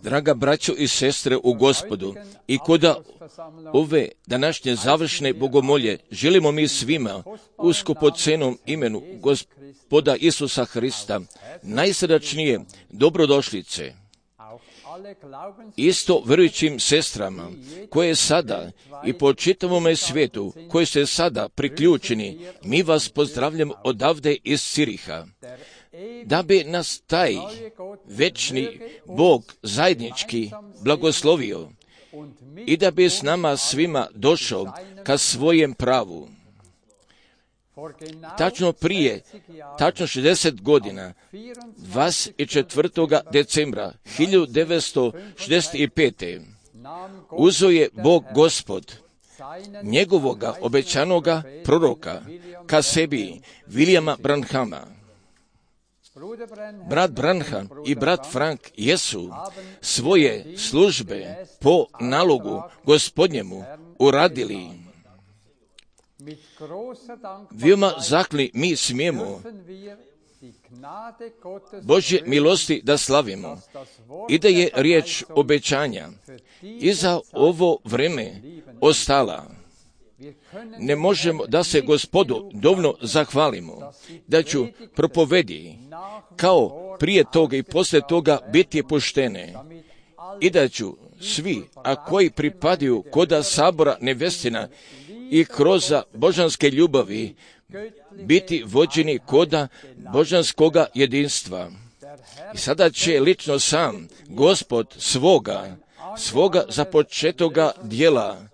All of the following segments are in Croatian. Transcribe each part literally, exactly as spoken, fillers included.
Draga braćo i sestre u Gospodu, i kod ove današnje završne bogomolje želimo mi svima u skupocenom imenu Gospoda Isusa Hrista najsrdačnije dobrodošlice. Isto vjerujućim sestrama koje sada i po čitavome svijetu, koji ste sada priključeni, mi vas pozdravljamo odavde iz Ciriha. Da bi nas taj večni Bog zajednički blagoslovio i da bi s nama svima došao ka svojem pravu. Tačno prije, tačno šezdeset godina, dvadeset četvrtog decembra hiljadu devetsto šezdeset pete. uzeo je Bog Gospod njegovoga obećanoga proroka ka sebi, Williama Branhama. Brat Branham i brat Frank jesu svoje službe po nalogu Gospodnjemu uradili. Veoma zakli mi smijemo Božje milosti da slavimo i da je riječ obećanja i za ovo vreme ostala. Ne možemo da se Gospodu dovoljno zahvalimo, da ću propovedi kao prije toga i poslije toga biti puštene i da ću svi, a koji pripadaju koda sabora nevestina i kroz božanske ljubavi, biti vođeni koda božanskoga jedinstva. I sada će lično sam Gospod svoga, svoga započetoga dijela,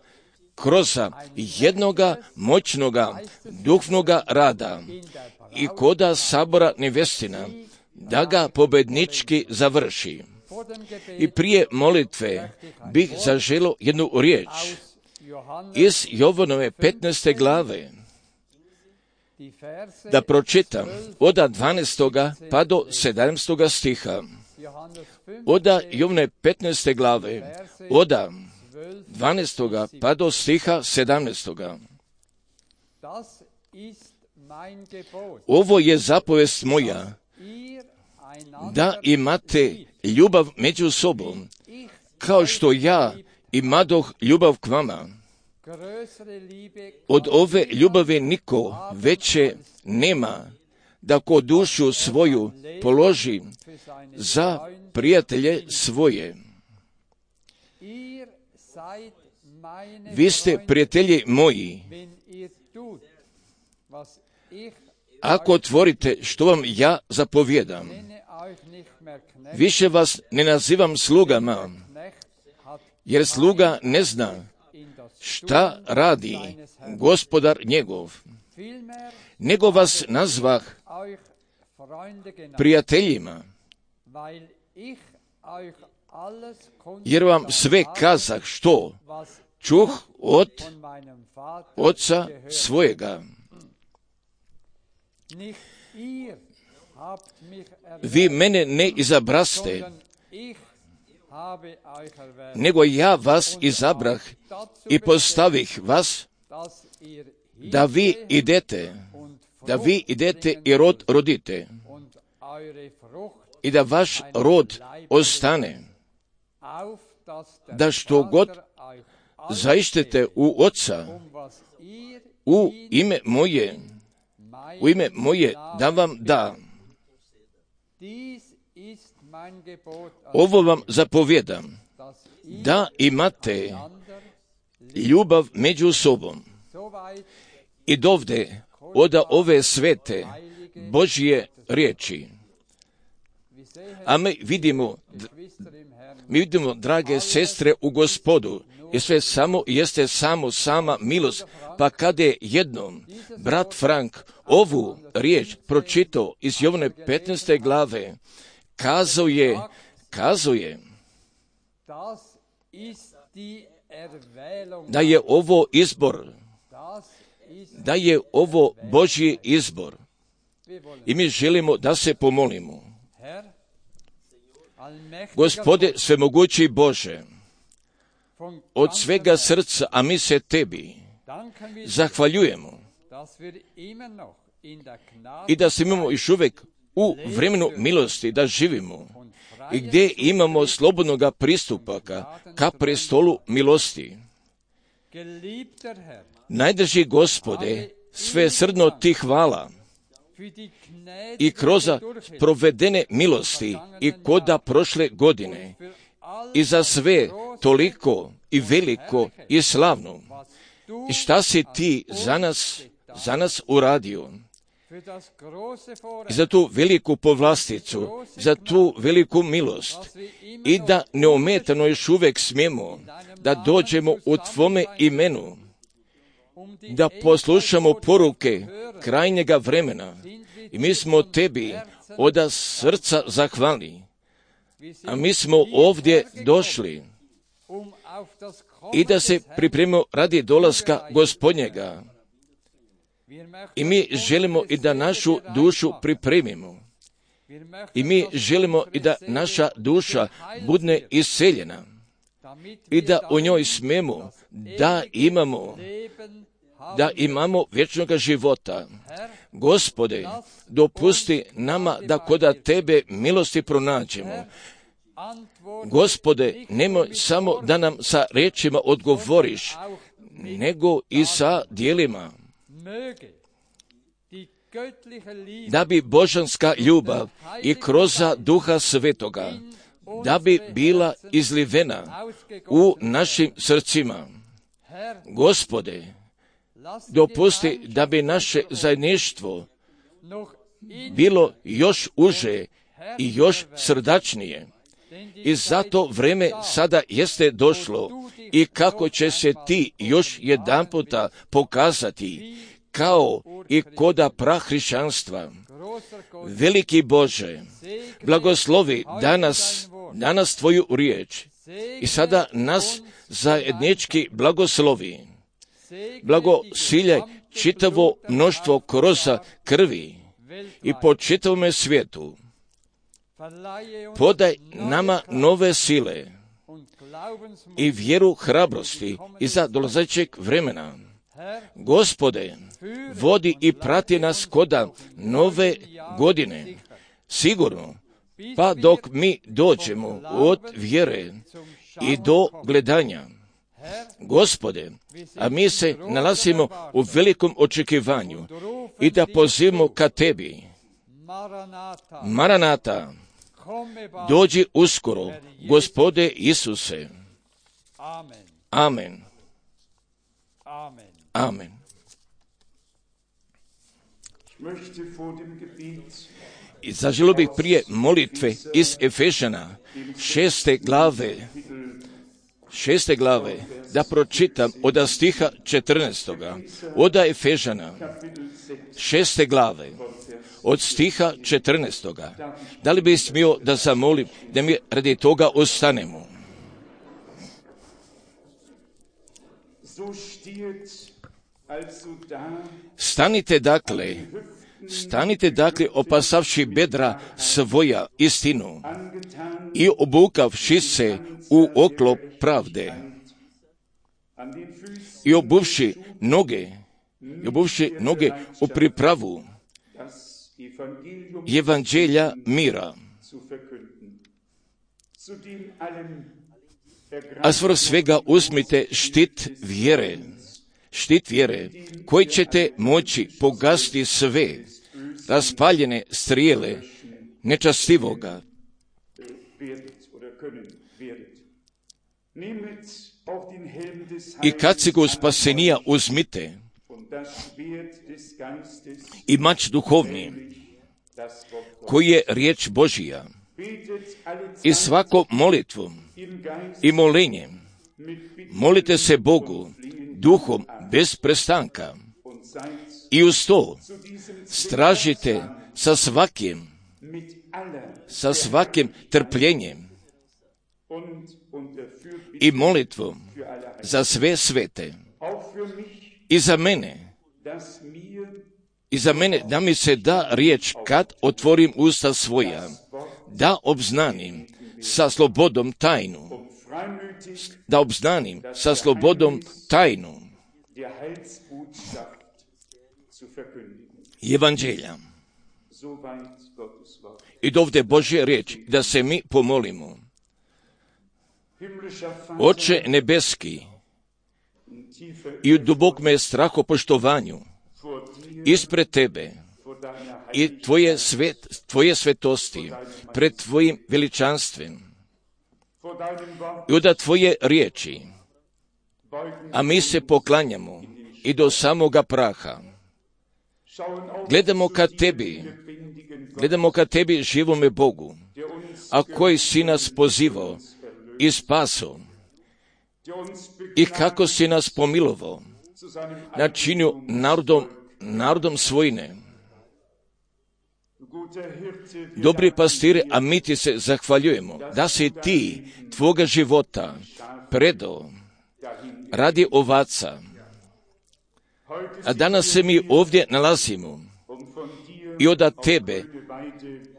kroz jednoga moćnoga duhovnoga rada i koda sabora nevestina da ga pobednički završi. I prije molitve bih zaželio jednu riječ iz Jovanove petnaeste glave, da pročitam od dvanaestoga pa do sedamnaestoga stiha. Od Jovane petnaeste glave, od dvanaestoga pa do stiha sedamnaestoga. Ovo je zapovest moja, da imate ljubav među sobom, kao što ja imadoh ljubav k vama. Od ove ljubavi niko veće nema, da ko dušu svoju položi za prijatelje svoje. Vi ste prijatelji moji, ako tvorite što vam ja zapovjedam. Više vas ne nazivam slugama, jer sluga ne zna šta radi gospodar njegov, nego vas nazvah prijateljima, jer vam sve kazah što čuh od oca svojega. Vi mene ne izabraste, nego ja vas izabrah i postavih vas, da vi idete, da vi idete i rod rodite, i da vaš rod ostane, da što god zaištete u Oca, u ime moje, u ime moje da vam da. Ovo vam zapovjedam, da imate ljubav među sobom. I dovde od ove svete Božje riječi. A mi vidimo, mi vidimo, drage sestre u Gospodu, i sve samo jeste samo sama milost. Pa kada je jednom brat Frank ovu riječ pročitao iz Jovane petnaeste glave, kazao je, kazao je da je ovo izbor, da je ovo Božji izbor. I mi želimo da se pomolimo. Gospode svemogući Bože, od svega srca, a mi se Tebi zahvaljujemo i da se imamo još uvijek u vremenu milosti da živimo i gdje imamo slobodnoga pristupa ka prestolu milosti. Najdrži Gospode, sve srdno Ti hvala i kroz provedene milosti i koda prošle godine i za sve toliko i veliko i slavno. I šta si Ti za nas, za nas uradio? I za tu veliku povlasticu, za tu veliku milost i da neometano još uvijek smijemo da dođemo u Tvome imenu, da poslušamo poruke krajnjega vremena i mi smo Tebi od srca zahvalni. A mi smo ovdje došli i da se pripremimo radi dolaska Gospodnjega. I mi želimo i da našu dušu pripremimo. I mi želimo i da naša duša bude isceljena. I da u njoj smemo da imamo, da imamo vječnog života. Gospode, dopusti nama da koda Tebe milosti pronađemo. Gospode, nemoj samo da nam sa riječima odgovoriš, nego i sa djelima. Da bi božanska ljubav i kroz Duha Svetoga, da bi bila izlivena u našim srcima. Gospode, dopusti da bi naše zajedništvo bilo još uže i još srdačnije. I zato vreme sada jeste došlo i kako će se Ti još jedanputa pokazati kao i koda prahrišćanstva. Veliki Bože, blagoslovi danas, danas Tvoju riječ i sada nas zajednički blagoslovi. Blagosiljaj čitavo mnoštvo kroza krvi i po čitavome svijetu. Podaj nama nove sile i vjeru hrabrosti iza dolazećeg vremena. Gospode, vodi i prati nas koda nove godine, sigurno, pa dok mi dođemo od vjere i do gledanja. Gospode, a mi se nalazimo u velikom očekivanju i da pozivamo ka Tebi. Maranata, dođi uskoro, Gospode Isuse. Amen. Amen. I zaželio bih prije molitve iz Efežana, šeste glave, šeste glave, da pročitam od stiha četrnaestoga, od Efežana, šeste glave, od stiha četrnaestoga. Da li bih smio da zamolim da mi radi toga ostanemo? Stanite dakle, stanite dakle opasavši bedra svoja istinu i obukavši se u oklop pravde i obuvši noge, i obuvši noge u pripravu evanđelja mira. A svrh svega uzmite štit vjere, štit vjere, koji ćete moći pogasiti sve raspaljene strijele nečastivoga. I kacigu spasenija uzmite i mač duhovni, koji je riječ Božija, i svakom molitvom i molenjem molite se Bogu duhom bez prestanka i uz to stražite sa svakim, sa svakim trpljenjem i molitvom za sve svete i za mene, i za mene da mi se da riječ kad otvorim usta svoja, da obznanim sa slobodom tajnu, da obznanim sa slobodom tajnu evanđelja. I dovde Božje riječ, da se mi pomolimo. Oče nebeski, i u dubokome strahopoštovanju ispred Tebe i Tvoje, svet, tvoje svetosti, pred Tvojim veličanstvem i od Tvoje riječi, a mi se poklanjamo i do samoga praha. Gledamo ka Tebi, gledamo ka Tebi živome Bogu, a koji si nas pozivao i spaso, i kako si nas pomilovao, načinio narodom, narodom svojine. Dobri pastire, a mi ti se zahvaljujemo da si ti tvoga života predao radi ovaca. A danas se mi ovdje nalazimo i od Tebe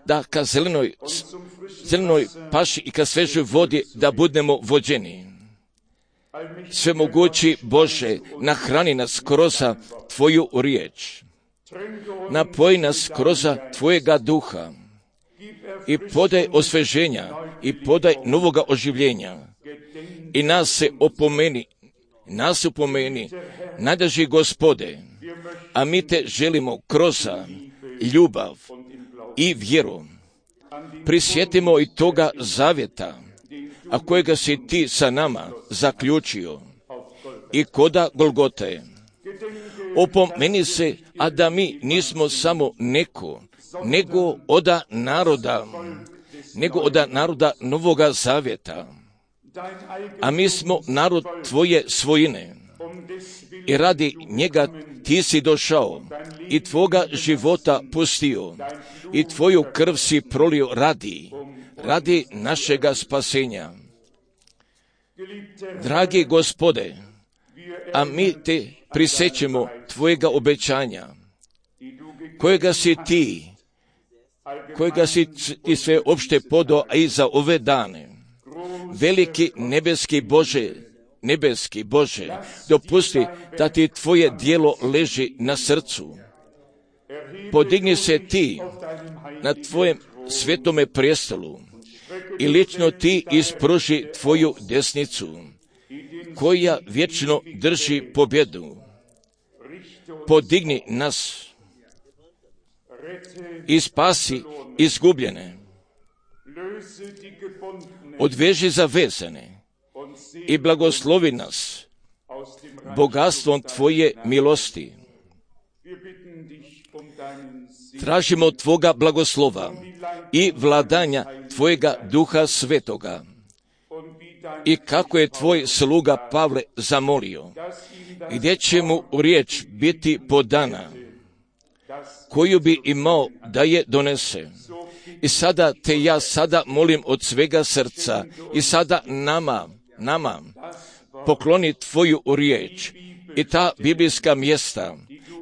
da ka zelenoj, zelenoj paši i ka svežoj vodi da budemo vođeni. Svemogući Bože, nahrani nas kroz Tvoju riječ, napoji nas kroz Tvojega duha i podaj osveženja i podaj novoga oživljenja i nas se opomeni, nas se opomeni, najdraži Gospode, a mi te želimo kroz ljubav i vjeru. Prisjetimo i toga zavjeta, a kojega si ti sa nama zaključio i koda Golgote. Opomeni se, a da mi nismo samo neko, nego oda naroda, nego oda naroda Novoga Zavjeta, a mi smo narod Tvoje svojine. i radi njega ti si došao i tvoga života pustio i tvoju krv si prolio radi, radi našega spasenja. Dragi Gospode, a mi te prisećemo tvojega obećanja, kojega si ti, kojega si ti sve opšte podao i za ove dane. Veliki nebeski Bože, nebeski Bože, dopusti da ti tvoje djelo leži na srcu. Podigni se ti na tvojem svetome prijestolu i lično ti ispruži tvoju desnicu, koja vječno drži pobjedu. Podigni nas i spasi izgubljene. Odveži zavezane i blagoslovi nas bogatstvom tvoje milosti. Tražimo tvoga blagoslova i vladanja tvojega Duha Svetoga. I kako je tvoj sluga Pavle zamolio, gdje će mu riječ biti podana, koju bi imao da je donese. I sada te ja sada molim od svega srca i sada nama, nama pokloni tvoju riječ i ta biblijska mjesta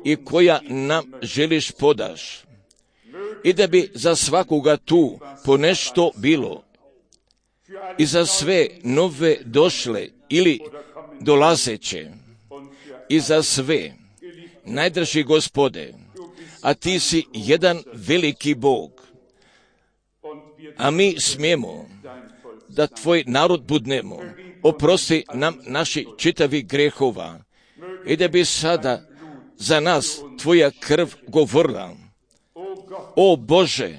i koja nam želiš podaš. I da bi za svakoga tu po nešto bilo i za sve nove došle ili dolazeće i za sve, najdraži Gospode, a ti si jedan veliki Bog, a mi smijemo da tvoj narod budnemo, oprosti nam naši čitavi grehova i da bi sada za nas tvoja krv govorila. O Bože,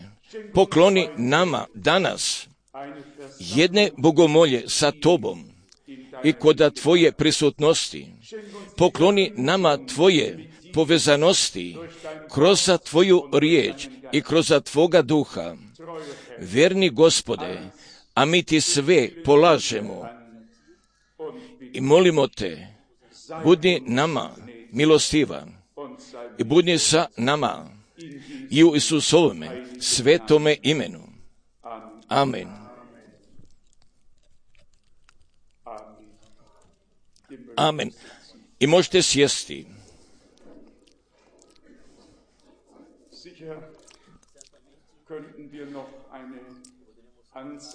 pokloni nama danas jedne bogomolje sa tobom i koda tvoje prisutnosti. Pokloni nama tvoje povezanosti kroz tvoju riječ i kroz tvoga duha. Verni Gospode, a mi ti sve polažemo i molimo te, budi nama milostivan i budi sa nama i u Isusovome svetome imenu. Amen. Amen. I možete sjesti.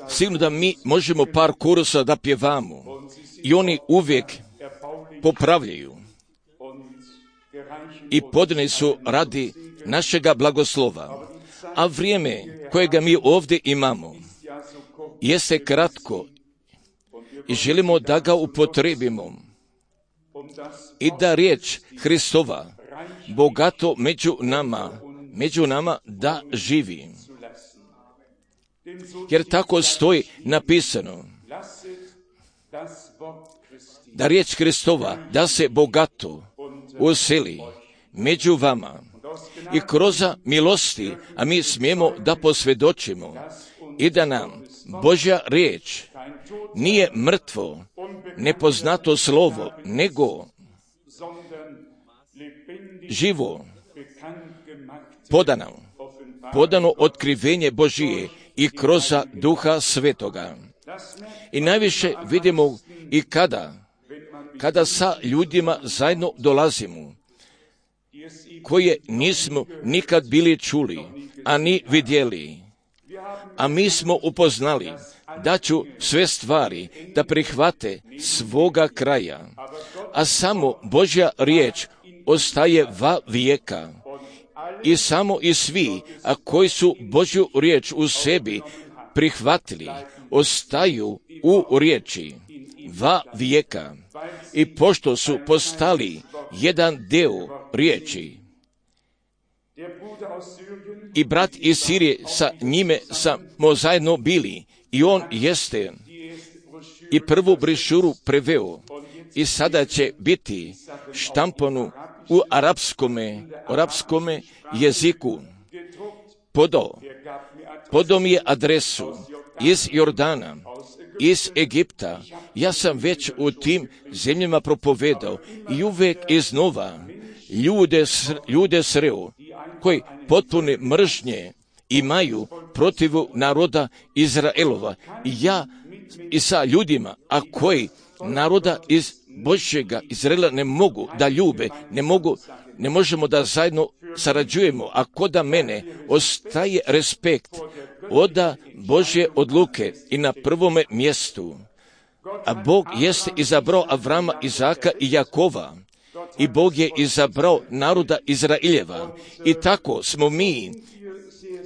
Sigurno da mi možemo par korusa da pjevamo i oni uvijek popravljaju i podani su radi našega blagoslova. A vrijeme kojega mi ovdje imamo jeste kratko i želimo da ga upotrebimo i da riječ Hristova bogato među nama, među nama da živi. Jer tako stoji napisano da riječ Hristova da se bogato useli među vama i kroz milosti, a mi smijemo da posvjedočimo i da nam Božja riječ nije mrtvo, nepoznato slovo, nego živo, podano, podano otkrivenje Božije i kroz Duha Svetoga. I najviše vidimo i kada, kada sa ljudima zajedno dolazimo, koje nismo nikad bili čuli, a ni vidjeli. A mi smo upoznali da ću sve stvari da prihvate svoga kraja, a samo Božja riječ ostaje va vijeka. I samo i svi, a koji su Božju riječ u sebi prihvatili, ostaju u riječi va vijeka. I pošto su postali jedan deo riječi, i brat iz Sirije sa njime smo zajedno bili, i on jeste i prvu brošuru preveo, i sada će biti štampanu u arapskome, arapskome jeziku. Podao, podao mi je adresu iz Jordana, iz Egipta. Ja sam već u tim zemljama propovedao i uvijek iznova ljude, ljude sreo koji potpune mržnje imaju protiv naroda Izraelova. I ja i sa ljudima, a koji naroda iz Božjega Izraela ne mogu da ljube, ne mogu, ne možemo da zajedno sarađujemo, a koda mene ostaje respekt oda Božje odluke i na prvome mjestu. A Bog jeste izabrao Avrama, Izaka i Jakova. I Bog je izabrao naroda Izraeljeva. I tako smo mi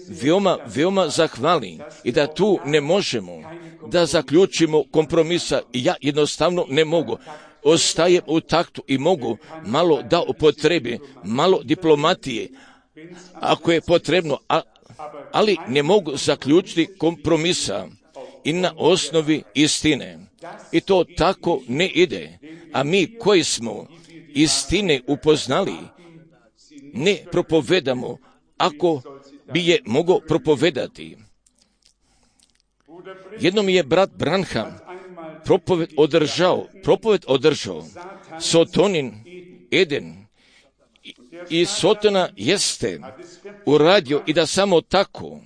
veoma, veoma zahvalni i da tu ne možemo da zaključimo kompromisa. I ja jednostavno ne mogu. Ostajem u taktu i mogu malo da upotrebi, malo diplomatije, ako je potrebno, a, ali ne mogu zaključiti kompromisa i na osnovi istine. I to tako ne ide. A mi koji smo istine upoznali, ne propovedamo ako bi je mogao propovedati. Jednom je brat Branham propoved održao, propoved održao, Sotonin Eden, i Sotona jeste uradio i da samo tako,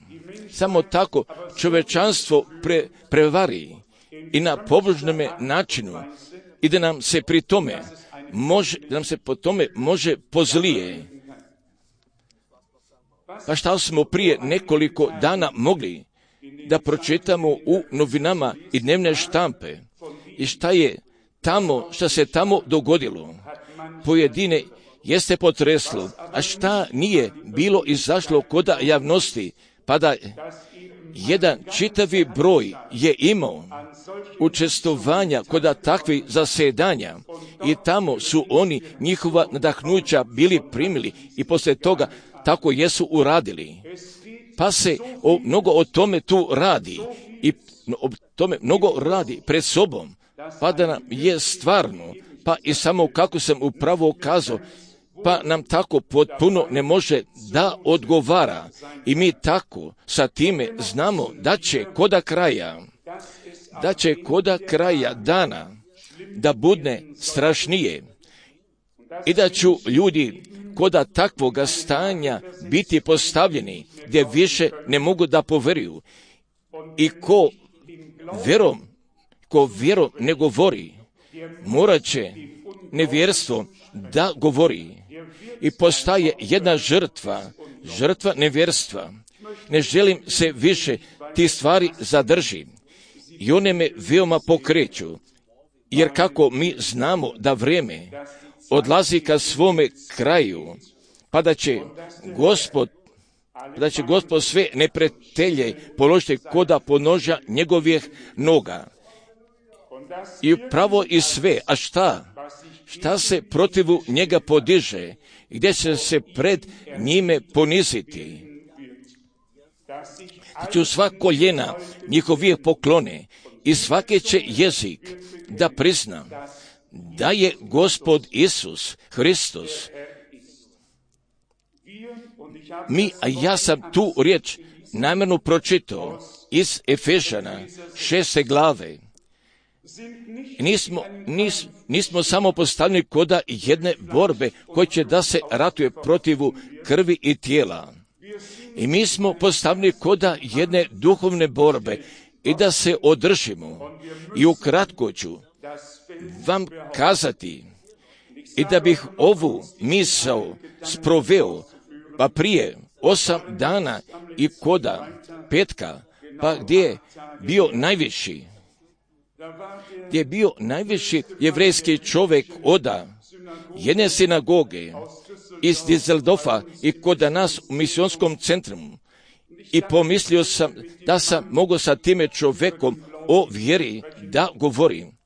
samo tako čovečanstvo pre, prevari i na pobožnome načinu i da nam se pri tome može, da nam se po tome može pozlije. Pa šta smo prije nekoliko dana mogli da pročitamo u novinama i dnevne štampe i šta je tamo, šta se tamo dogodilo. Pojedine jeste potreslo, a šta nije bilo izašlo koda javnosti, pa da jedan čitavi broj je imao učestvovanja koda takvih zasedanja i tamo su oni njihova nadahnuća bili primili i poslije toga tako jesu uradili. Pa se o, mnogo o tome tu radi i o tome mnogo radi pred sobom, pa da nam je stvarno, pa i samo kako sam upravo kazao, pa nam tako potpuno ne može da odgovara. I mi tako sa time znamo da će koda kraja, da će koda kraja dana da budne strašnije i da ću ljudi koda takvoga stanja biti postavljeni gdje više ne mogu da poveruju. I ko vjerom, ko vjerom ne govori, morat će nevjerstvo da govori i postaje jedna žrtva, žrtva nevjerstva. Ne želim se više ti stvari zadrži i one me veoma pokreću, jer kako mi znamo da vrijeme odlazi ka svome kraju, pa da će Gospod, da će Gospod sve neprijatelje položiti koda ponoža njegovih noga. I pravo i sve, a šta? Šta se protivu njega podiže, gdje će se pred njime poniziti? Da će sva koljena njihovih poklone i svaki će jezik da prizna da je Gospod Isus Hristos. Mi, a ja sam tu riječ namjerno pročitao iz Efežana šeste glave. Nismo, nis, nismo samo postavljeni koda jedne borbe koja će da se ratuje protivu krvi i tijela. I mi smo postavljeni koda jedne duhovne borbe i da se održimo. I ukratko ću vam kazati i da bih ovu misao sproveo, pa prije osam dana i koda petka, pa gdje je bio najviši, gdje je bio najviši jevrejski čovjek oda jedne sinagoge iz Düsseldorfa i koda nas u misionskom centru. I pomislio sam da sam mogao sa time čovjekom o vjeri da govorim.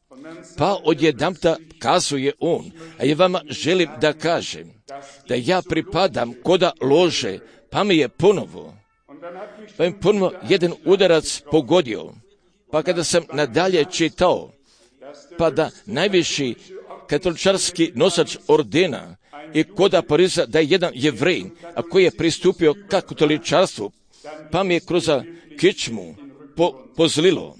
Pa odjedanputa kazuje on, a ja vama želim da kažem da ja pripadam koda lože, pa mi je ponovo, pa mi ponovo jedan udarac pogodio. Pa kada sam nadalje čitao, pa da najviši katoličarski nosač ordena i koda Pariza da je jedan Jevrej, a koji je pristupio ka katoličarstvu, pa mi je kroz kičmu po, pozlilo.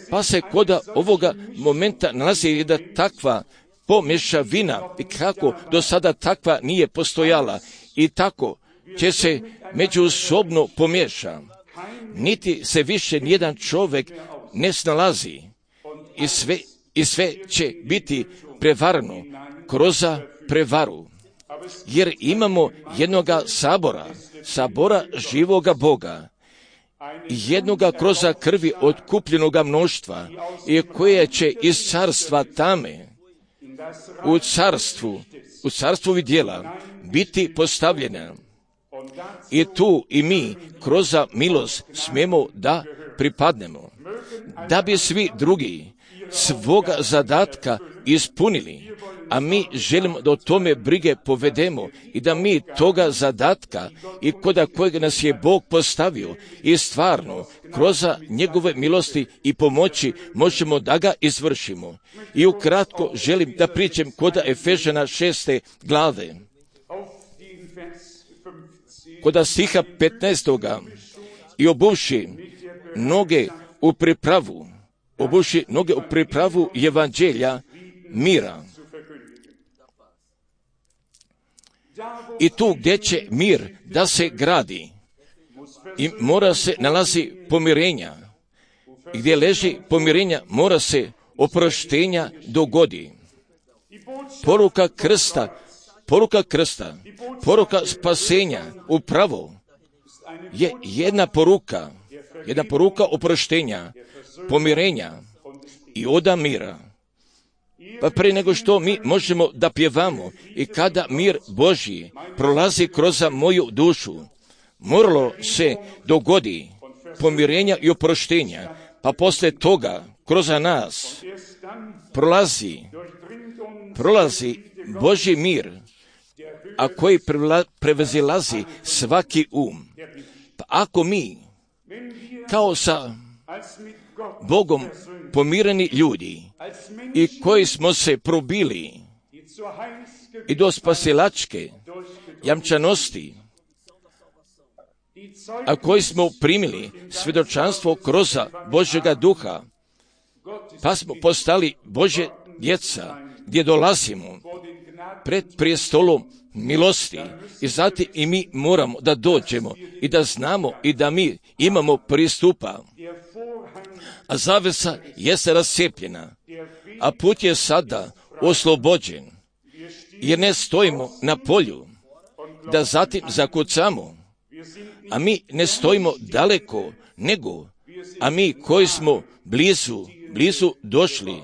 Pa se kod ovoga momenta nalazi jedna takva pomješavina i kako do sada takva nije postojala i tako će se međusobno pomiješa. Niti se više nijedan čovjek ne snalazi i sve, i sve će biti prevarano kroz prevaru. Jer imamo jednoga sabora, sabora živoga Boga, jednoga kroz krvi otkupljenoga mnoštva i koje će iz carstva tame u carstvu, u carstvu vidjela biti postavljena. I tu i mi kroz milost smijemo da pripadnemo, da bi svi drugi svoga zadatka ispunili, a mi želimo da o tome brige povedemo i da mi toga zadatka i koda kojeg nas je Bog postavio i stvarno kroz njegove milosti i pomoći možemo da ga izvršimo. I ukratko želim da pričam kod Efežana šeste glave. Kod stiha petnaestoga i obuvši noge u pripravu, obuši noge u pripravu evanđelja mira. I tu gdje će mir da se gradi i mora se nalazi pomirenja. I gdje leži pomirenja mora se oproštenja dogodi. Poruka krsta, poruka krsta, poruka spasenja upravo je jedna poruka, jedna poruka oproštenja, pomirenja i oda mira. Pa prije nego što mi možemo da pjevamo i kada mir Božji prolazi kroz moju dušu, moralo se dogodi pomirenja i oproštenja, pa poslije toga kroz nas prolazi, prolazi Božji mir, a koji prevazilazi svaki um. Pa ako mi kao sa Bogom pomireni ljudi i koji smo se probili i do spasilačke jamčanosti, a koji smo primili svjedočanstvo kroz Božjega duha, pa smo postali Božje djeca, gdje dolazimo pred prijestolom milosti i zatim i mi moramo da dođemo i da znamo i da mi imamo pristupa. A zavesa jeste rascijepljena, a put je sada oslobođen, jer ne stojimo na polju, da zatim zakucamo, a mi ne stojimo daleko, nego, a mi koji smo blizu, blizu došli,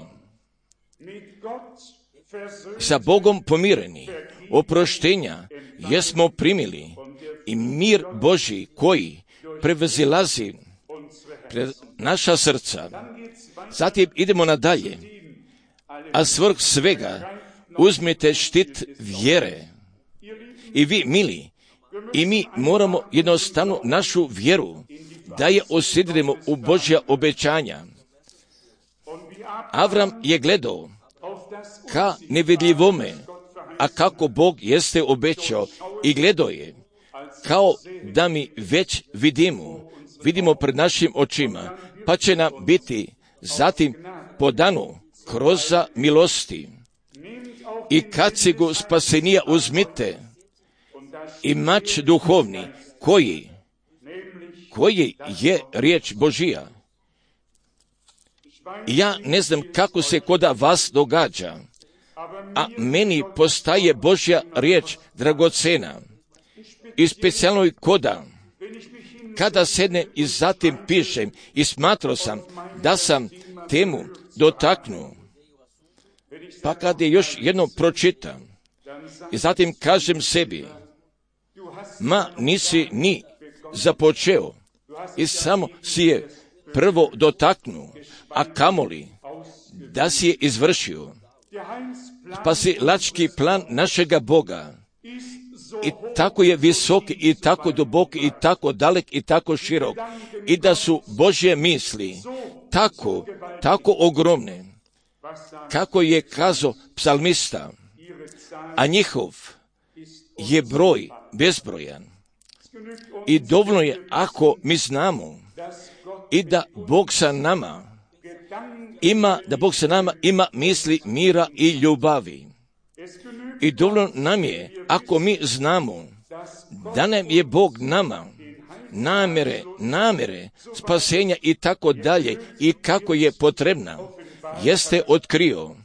sa Bogom pomireni, oproštenja jesmo primili i mir Božji koji prevazilazi pred naša srca. Zatim idemo nadalje, a svrh svega uzmite štit vjere. I vi, mili, i mi moramo jednostavno našu vjeru da je osidrimo u Božja obećanja. Avram je gledao ka nevidljivome, a kako Bog jeste obećao i gledao je, kao da mi već vidimo, vidimo pred našim očima, pa će nam biti zatim podano kroz milosti. I kacigu spasenija uzmite i mač duhovni, koji, koji je riječ Božija. Ja ne znam kako se koda vas događa, a meni postaje Božja riječ dragocena i specijalno i koda, kada sednem i zatim pišem i smatrao sam da sam temu dotaknuo, pa kad je još jednom pročitam i zatim kažem sebi, ma nisi ni započeo i samo si je prvo dotaknuo, a kamoli da si je izvršio. Spasilački plan našega Boga i tako je visok i tako dubok i tako dalek i tako širok i da su Božje misli tako, tako ogromne, kako je kazao psalmista, a njihov je broj bezbrojan. I dovoljno je ako mi znamo i da Bog sa nama ima, da Bog sa nama ima misli mira i ljubavi. I dovoljno nam je, ako mi znamo da nam je Bog nama namere, namere, spasenja i tako dalje i kako je potrebna, jeste otkrio.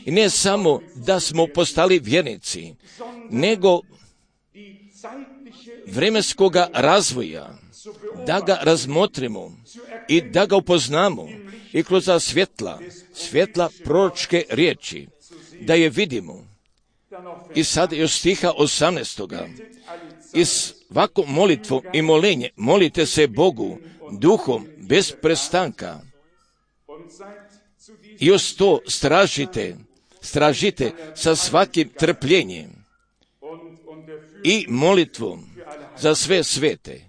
I ne samo da smo postali vjernici, nego vremenskoga razvoja, da ga razmotrimo i da ga upoznamo i kroz svjetla, svjetla proročke riječi, da je vidimo. I sad još stiha osamnaestoga. I svaku molitvu i molenje molite se Bogu duhom bez prestanka. I uz to stražite, stražite sa svakim trpljenjem i molitvom za sve svete.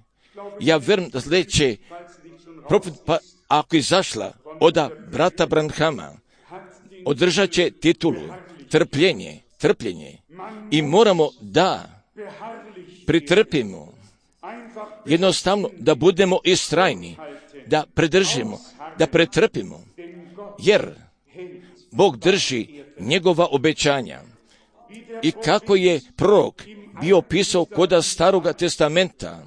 Ja vjerujem da sljedeće profet, pa ako izašla od brata Branhama, održat će titulu trpljenje, trpljenje. I moramo da pritrpimo, jednostavno da budemo istrajni, da predržimo, da pretrpimo, jer Bog drži njegova obećanja. I kako je prorok bio pisao koda Staroga testamenta,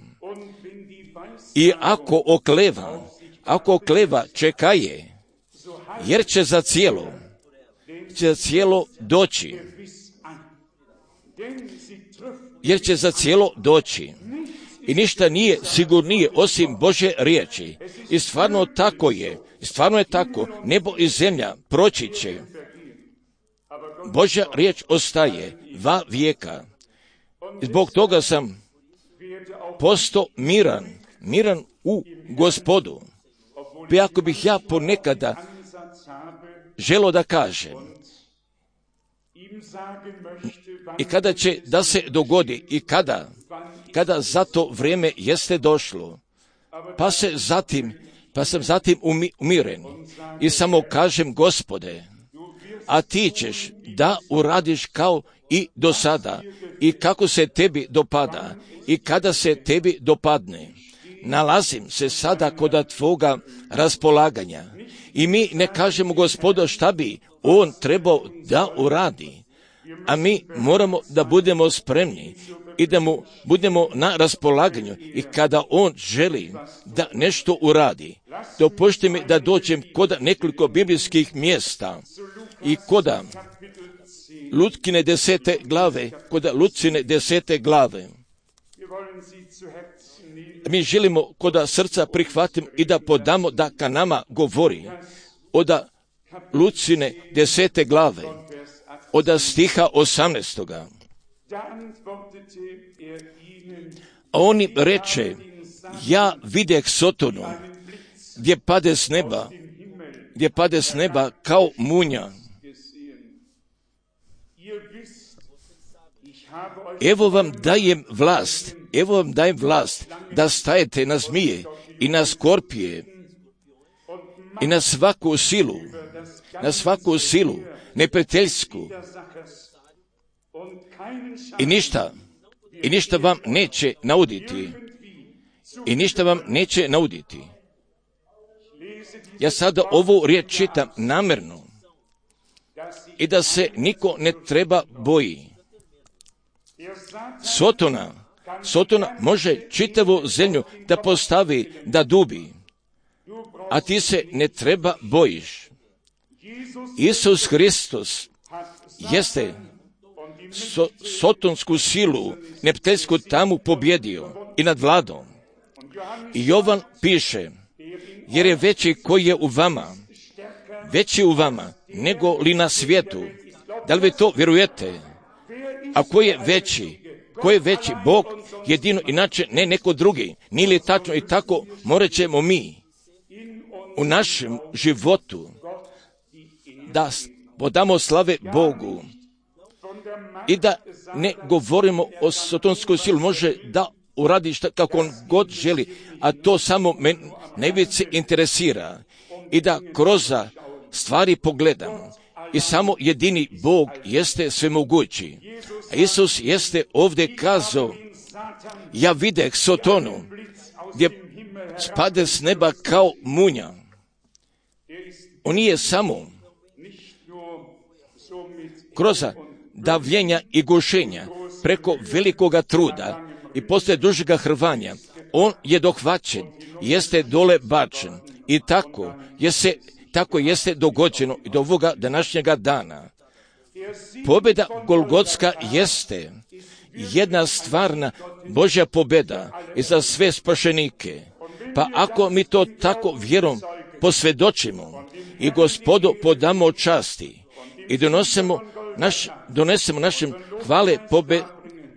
i ako okleva, ako okleva čekaje, jer će za cijelo, će za cijelo doći, jer će za cijelo doći. I ništa nije sigurnije osim Božje riječi. I stvarno tako je, i stvarno je tako, nebo i zemlja proći će. Božja riječ ostaje va vijeka. I zbog toga sam postao miran, miran u Gospodu. Pa ako bih ja ponekada želio da kažem, i kada će da se dogodi i kada, kada za to vrijeme jeste došlo, pa se zatim, pa sam zatim umi, umiren i samo kažem, Gospode, a ti ćeš da uradiš kao i do sada i kako se tebi dopada i kada se tebi dopadne. Nalazim se sada kod tvoga raspolaganja i mi ne kažemo, Gospodo, šta bi on trebao da uradi, a mi moramo da budemo spremni i da mu budemo na raspolaganju i kada on želi da nešto uradi. Dopušti mi da dođem kod nekoliko biblijskih mjesta i koda Lutkine desete glave, koda Lucine desete glave. Mi želimo koda srca prihvatimo i da podamo da ka nama govori od Lucine desete glave, od stiha osamnaestoga. A on im reče, ja videh Sotonu, gdje pade s neba, gdje pade s neba kao munja. Evo vam dajem vlast, evo vam dajem vlast da stajete na zmije i na skorpije i na svaku silu, na svaku silu neprijateljsku. I ništa, i ništa vam neće nauditi. I ništa vam neće nauditi. Ja sada ovu riječ čitam namjerno i da se niko ne treba boji. Sotona, Sotona može čitavu zemlju da postavi, da dubi, a ti se ne treba bojiš. Isus Hristos jeste so, sotonsku silu, neprijateljsku tamu pobjedio i nadvladao. I Jovan piše, jer je veći koji je u vama, veći u vama nego li na svijetu. Da li vi to vjerujete? A ko je veći? Ko je veći? Bog jedino, inače ne neko drugi. Nije li tačno i tako morat ćemo mi u našem životu da podamo slave Bogu i da ne govorimo o sotonskoj sili. Može da uradi šta kako on god želi, a to samo me najviše interesira i da kroz stvari pogledam. I samo jedini Bog jeste svemogući. A Isus jeste ovdje kazao, ja videh Sotonu, gdje spade s neba kao munja. on nije samo kroz davljenja i gušenja, preko velikoga truda i poslije dužega hrvanja, on je dohvaćen, jeste dole bačen i tako jeste, tako jeste dogođeno i do ovoga današnjega dana. Pobjeda Golgotska jeste jedna stvarna Božja pobjeda i za sve spašenike. Pa ako mi to tako vjerom posvjedočimo i Gospodu podamo časti i donosimo, naš, donesemo našem hvale pobe,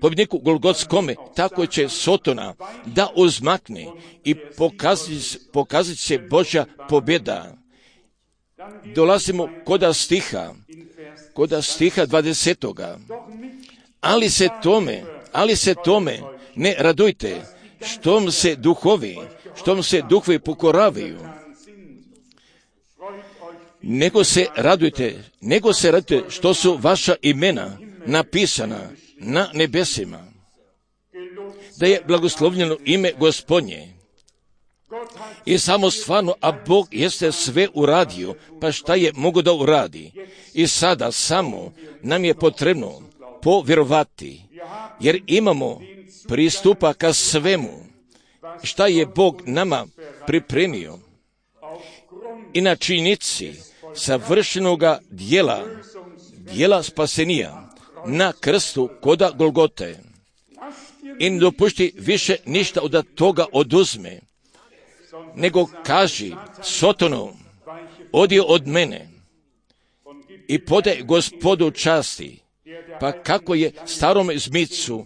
pobjedniku Golgotskome, tako će Sotona da uzmakne i pokazati, pokazati se Božja pobjeda. Dolazimo koda stiha, koda stiha dvadesetoga. Ali se tome, ali se tome ne radujte, štom se duhovi, štom se duhovi pokoravaju. Nego se radujte, nego se radujte što su vaša imena napisana na nebesima. Da je blagoslovljeno ime Gospodnje. I samo stvarno, a Bog jeste sve uradio, pa šta je mogo da uradi? I sada samo nam je potrebno povjerovati, jer imamo pristupa ka svemu, šta je Bog nama pripremio. I na činjenici savršenoga dijela, dijela spasenija, na krstu koda Golgote. I ne dopušti više ništa od toga oduzme, nego kaži Sotonu, odi od mene i podaj Gospodu časti. Pa kako je starom zmicu,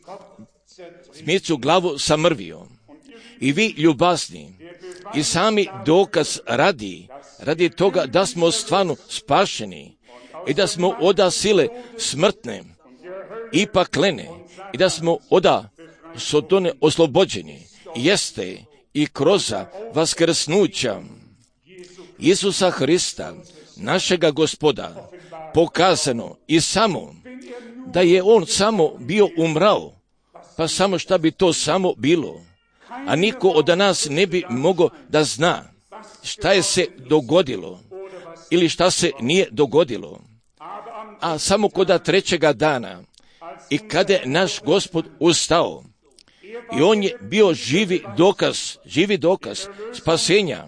zmicu glavu samrvio. I vi ljubazni, i sami dokaz radi, radi toga da smo stvarno spašeni i da smo oda sile smrtne i paklene i da smo oda Sotone oslobođeni, jeste i kroz vaskrsnuća Isusa Hrista, našega Gospoda, pokazano i samo da je on samo bio umrao, pa samo šta bi to samo bilo, a niko od nas ne bi mogao da zna šta je se dogodilo ili šta se nije dogodilo. A samo koda trećega dana i kada je naš Gospod ustao i on je bio živi dokaz, živi dokaz spasenja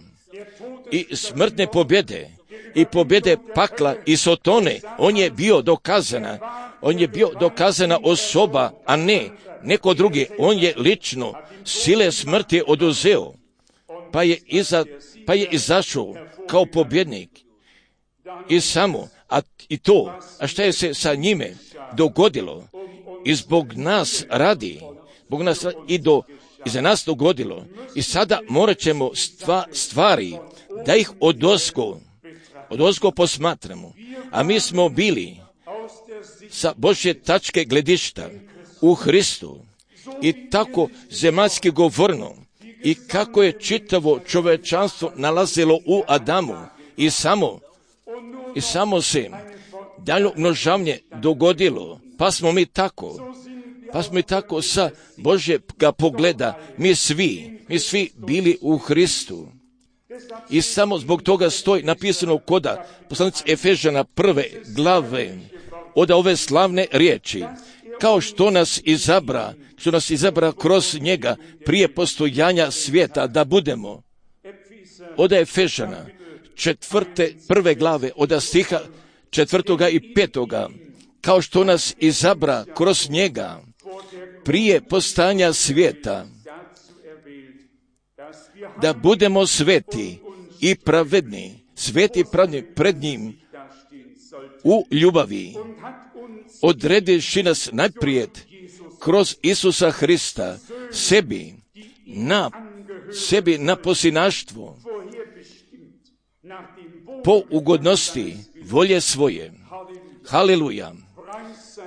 i smrtne pobjede i pobjede pakla i Sotone, on je bio dokazana, on je bio dokazana osoba, a ne neko drugi. On je lično sile smrti oduzeo, pa je, iza, pa je izašao kao pobjednik. I samo, a i to, a šta je se sa njime dogodilo i zbog nas radi, zbog nas i do i za nas dogodilo. I sada morat ćemo stva, stvari da ih odozgo, odozgo posmatramo. A mi smo bili sa Božje tačke gledišta u Hristu i tako zemaljski govorno i kako je čitavo čovečanstvo nalazilo u Adamu i samo i samo se dalje množavnje dogodilo, pa smo mi tako pa smo mi tako sa Božjega pogleda mi svi, mi svi bili u Hristu. I samo zbog toga stoji napisano koda poslanici Efežana prve glave od ove slavne riječi, kao što nas izabra, što nas izabra kroz njega prije postojanja svijeta da budemo. Od Efežana četvrte prve glave od stiha četvrtoga i petoga, kao što nas izabra kroz njega prije postojanja svijeta da budemo sveti i pravedni, sveti i pravedni pred njim u ljubavi, odrediši nas najprijed kroz Isusa Hrista sebi na sebi na posinaštvo po ugodnosti volje svoje. Haleluja!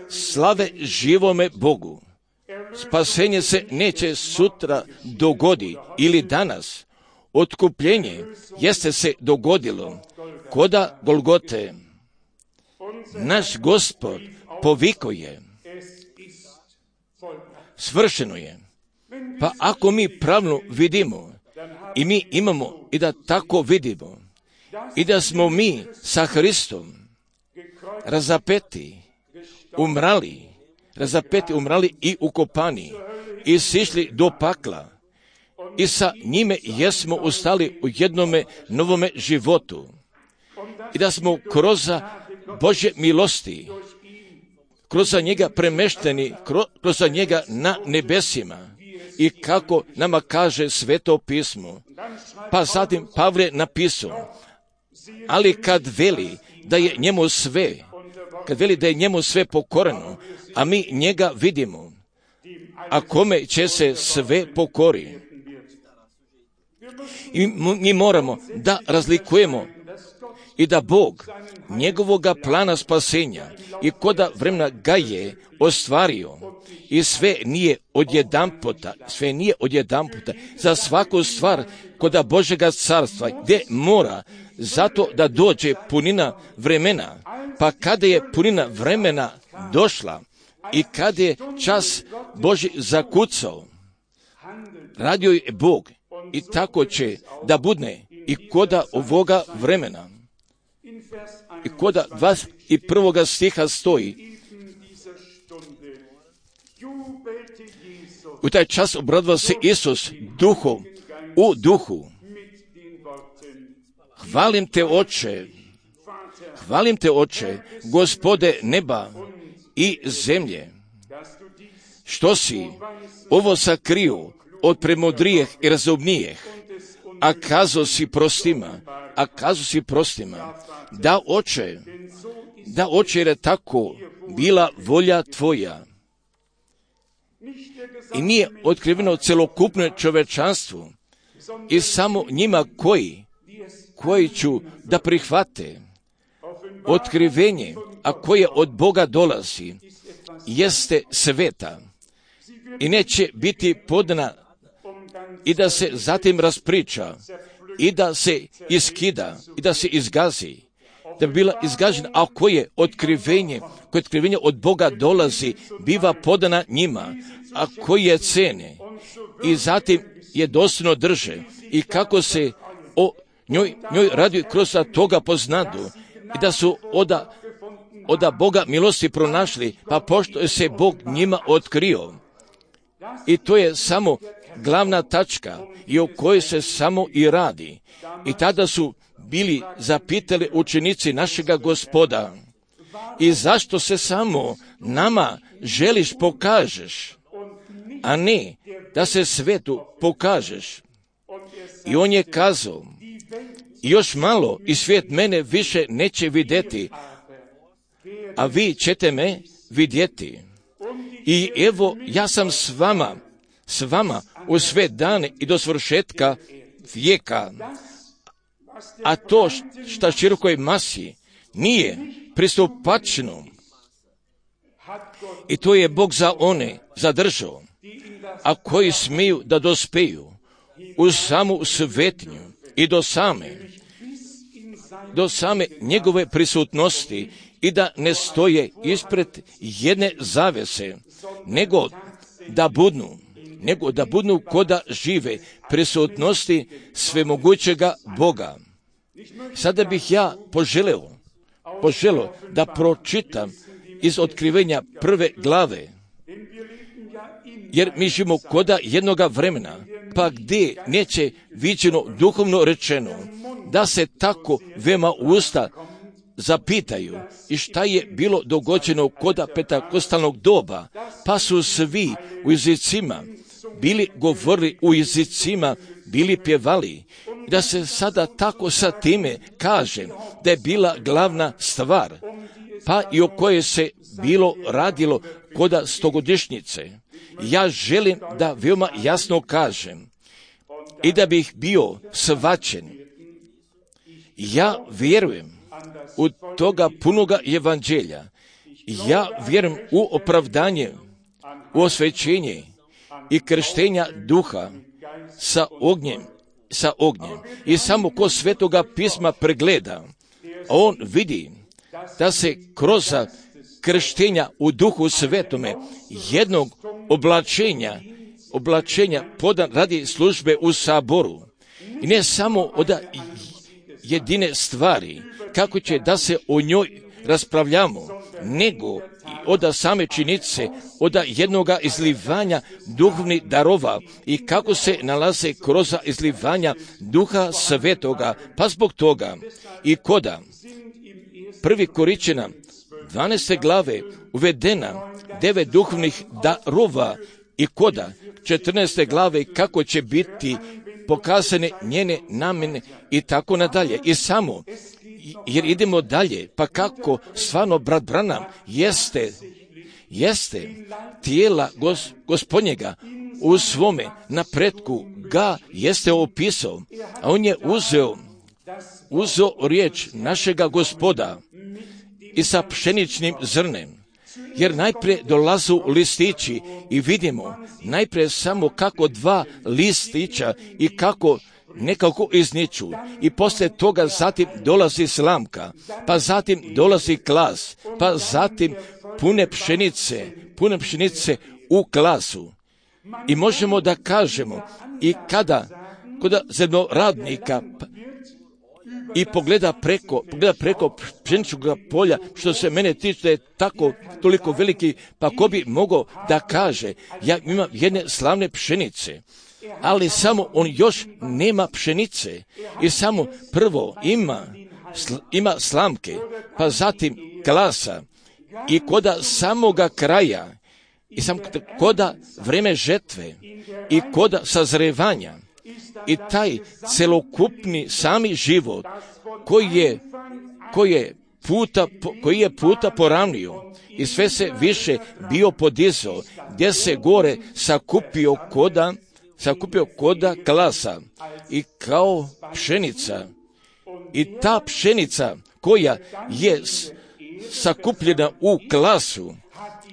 Slave živome Bogu! Spasenje se neće sutra dogodi ili danas. Otkupljenje jeste se dogodilo koda Golgote. Naš Gospod poviko je. Svršeno je. Pa ako mi pravno vidimo i mi imamo i da tako vidimo i da smo mi sa Hristom razapeti, umrali, razapeti, umrali i ukopani i sišli do pakla i sa njime jesmo ustali u jednome novome životu i da smo kroz Božje milosti, kroz njega premešteni, kroz njega na nebesima i kako nama kaže Sveto pismo. Pa zatim Pavle napisao, ali kad veli da je njemu sve, kad veli da je njemu sve pokoreno, a mi njega vidimo, a kome će se sve pokori. I mi moramo da razlikujemo i da Bog njegovoga plana spasenja i koda vremena ga je ostvario i sve nije odjedanputa, sve nije odjedanputa, za svaku stvar koda Božega carstva gdje mora zato da dođe punina vremena, pa kada je punina vremena došla i kada je čas Božji zakucao, radio je Bog i tako će da budne i koda ovoga vremena. I koda dvadeset prvog stiha stoji, u taj čas obradovao se Isus duhom, u duhu. Hvalim te, Oče, hvalim te, Oče, Gospode neba i zemlje, što si ovo sakrio od premudrijeh i razumnijeh, a kazo si prostima, a kazo si prostima, da Oče, da Oče, jer je tako bila volja tvoja. I nije otkriveno celokupno čovečanstvu i samo njima koji, koji ću da prihvate otkrivenje, a koje od Boga dolazi, jeste sveta i neće biti podana i da se zatim raspriča i da se iskida i da se izgazi, da bi bila izgažena, a koje otkrivenje, koje otkrivenje od Boga dolazi, biva podana njima, a koje cene i zatim je dostojno drže i kako se o njoj, njoj radi kroz toga poznadu i da su oda, oda Boga milosti pronašli, pa pošto je se Bog njima otkrio. I to je samo glavna tačka i o kojoj se samo i radi. I tada su bili zapitali učenici našega Gospoda, i zašto se samo nama želiš pokažeš, a ne da se svetu pokažeš. I on je kazao, još malo i svijet mene više neće vidjeti, a vi ćete me vidjeti. I evo, ja sam s vama, s vama u sve dane i do svršetka vijeka. A to šta širokoj masi nije pristupačno, i to je Bog za one zadržao, a koji smiju da dospeju u samu svetinju i do same, do same njegove prisutnosti i da ne stoje ispred jedne zavese, nego da budnu, nego da budnu koda žive prisutnosti svemogućega Boga. Sada bih ja poželeo, poželeo da pročitam iz otkrivenja prve glave, jer mi živimo koda jednoga vremena, pa gdje neće viđeno duhovno rečeno, da se tako veoma usta zapitaju i šta je bilo dogođeno koda pentakostalnog doba, pa su svi u jezicima bili govorili u jezicima, bili pjevali, da se sada tako sa time kaže da je bila glavna stvar, pa i o kojoj se bilo radilo koda stogodišnjice. Ja želim da veoma jasno kažem i da bih bio svačen. Ja vjerujem u toga punoga evanđelja. Ja vjerujem u opravdanje, u osvećenje i krštenja duha sa ognjem, sa ognjem. I samo ko Svetoga pisma pregleda, on vidi da se kroz krštenja u duhu svetome jednog oblačenja, oblačenja podan radi službe u saboru. I ne samo od jedine stvari, kako će da se o njoj raspravljamo, nego od same činjenice, od jednoga izlivanja duhovnih darova i kako se nalaze kroz izlivanja Duha Svetoga. Pa zbog toga i koda prvi Korinćana dvanaeste glave uvedena devet duhovnih darova i koda četrnaeste glave kako će biti pokazane njene namjene i tako nadalje. I samo jer idemo dalje, pa kako stvarno brat Branham jeste, jeste tijela gos, gospodnjega u svome napretku ga jeste opisao, a on je uzeo, uzeo riječ našega Gospoda i sa pšeničnim zrnem. Jer najprije dolazu listići i vidimo najprije samo kako dva listića i kako nekako izniču i poslije toga zatim dolazi slamka, pa zatim dolazi klas, pa zatim pune pšenice, pune pšenice u klasu. I možemo da kažemo i kada kod zemljoradnika i pogleda preko, pogleda preko pšeničnog polja, što se mene tiče je tako toliko veliki, pa ko bi mogao da kaže, ja imam jedne slavne pšenice, ali samo on još nema pšenice i samo prvo ima, sl, ima slamke, pa zatim klasa i koda samoga kraja i sam koda vreme žetve i koda sazrevanja i taj celokupni sami život koji je, koji je puta, koji je puta poravnio i sve se više bio podizao, gdje se gore sakupio koda, sakupio koda klasa i kao pšenica. I ta pšenica koja je sakupljena u klasu,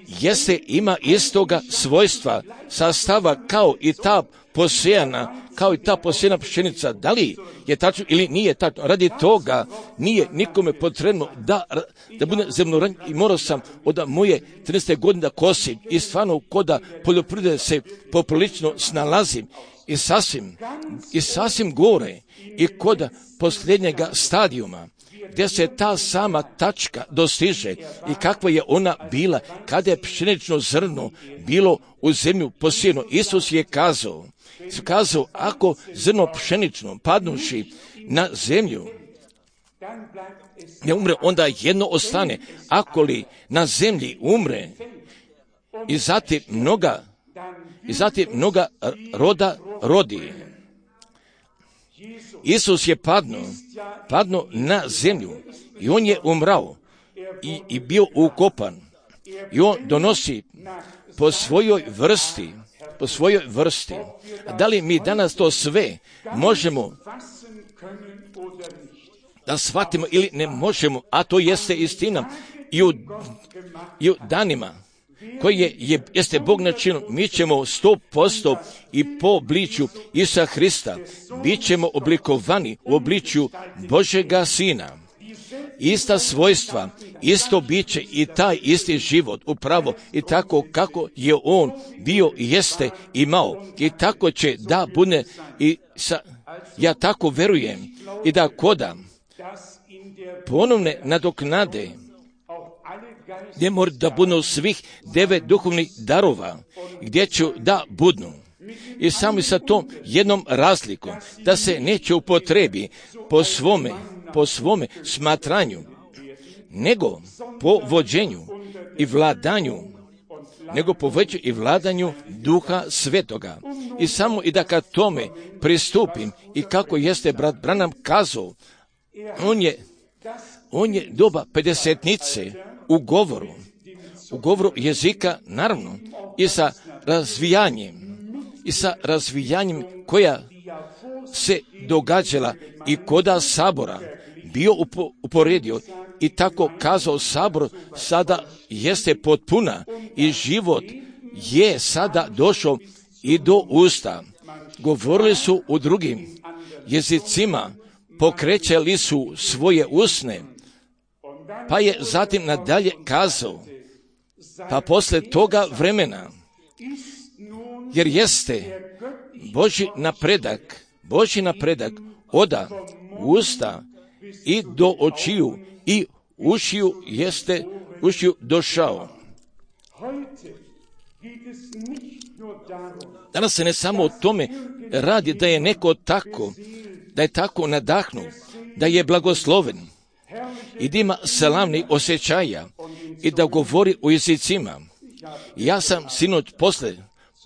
jeste ima istoga svojstva, sastava kao i ta posejana, kao i ta posejana pšenica. Da li je tačno ili nije tačno? Radi toga nije nikome potrebno da, da bude zemljoradnik i morao sam od moje trinaeste godine da kosim i stvarno koda poljoprivrede se poprilično snalazim i sasvim, i sasvim gore i koda posljednjega stadijuma, gdje se ta sama tačka dostiže i kakva je ona bila kada je pšenično zrno bilo u zemlju posijeno. Isus je kazao, kazao ako zrno pšenično padnuši na zemlju ne umre, onda jedno ostane. Ako li na zemlji umre i zatim mnoga, i zatim mnoga roda rodi. Isus je padnuo, padnuo na zemlju i on je umrao i, i bio ukopan. I on donosi po svojoj vrsti, po svojoj vrsti. A da li mi danas to sve možemo da shvatimo ili ne možemo, a to jeste istina i u, i u danima koji je, je, jeste Bog načinio, mi ćemo sto posto i po obličju Isusa Hrista, bit ćemo oblikovani u obličju Božega Sina. Ista svojstva, isto biće i taj isti život upravo i tako kako je on bio i jeste imao i tako će da bude i sa, ja tako verujem i da koda ponovne nadoknade gdje mora da budu svih devet duhovnih darova, gdje ću da budnu. I samo sa tom jednom razlikom, da se neće upotrebi po svome, po svome smatranju, nego po vođenju i vladanju, nego po vođenju i vladanju Duha Svetoga. I samo i da kad tome pristupim i kako jeste brat Branham kazao, on je, on je doba pedesetnice u govoru, u govoru jezika, naravno, i sa razvijanjem, i sa razvijanjem koja se događala i koda sabora bio upo, uporedio i tako kazao sabor sada jeste potpuna i život je sada došao i do usta. Govorili su u drugim jezicima, pokrećali su svoje usne, pa je zatim nadalje kazao, pa posle toga vremena, jer jeste Božji napredak, Božji napredak oda usta i do očiju i ušiju jeste ušiju došao. Danas se ne samo o tome radi da je neko tako, da je tako nadahnut, da je blagosloven i da ima slavnih osjećaja i da govori o jezicima. Ja sam sinoć posle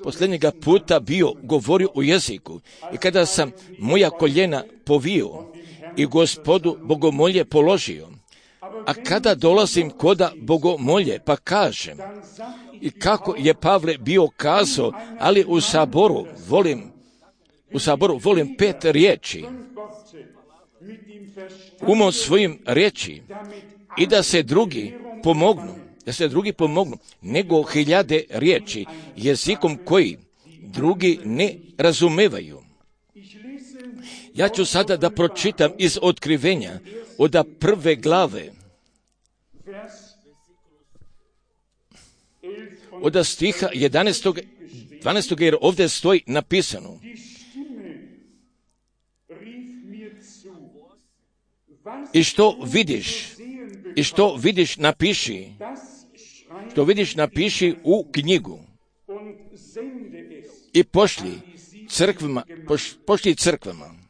posljednjega puta bio govorio o jeziku i kada sam moja koljena povio i Gospodu bogomolje položio, a kada dolazim koda bogomolje pa kažem, i kako je Pavle bio kazao, ali u saboru volim, u saboru volim pet riječi, umom svojim riječi i da se drugi pomognu, da se drugi pomognu, nego hiljade riječi, jezikom koji drugi ne razumevaju. Ja ću sada da pročitam iz Otkrivenja od prve glave, od stiha jedanaestog, dvanaestog jer ovdje stoji napisano. I što vidiš, i što vidiš napiši, što vidiš napiši u knjigu i pošli crkvama, poš, pošli crkvama.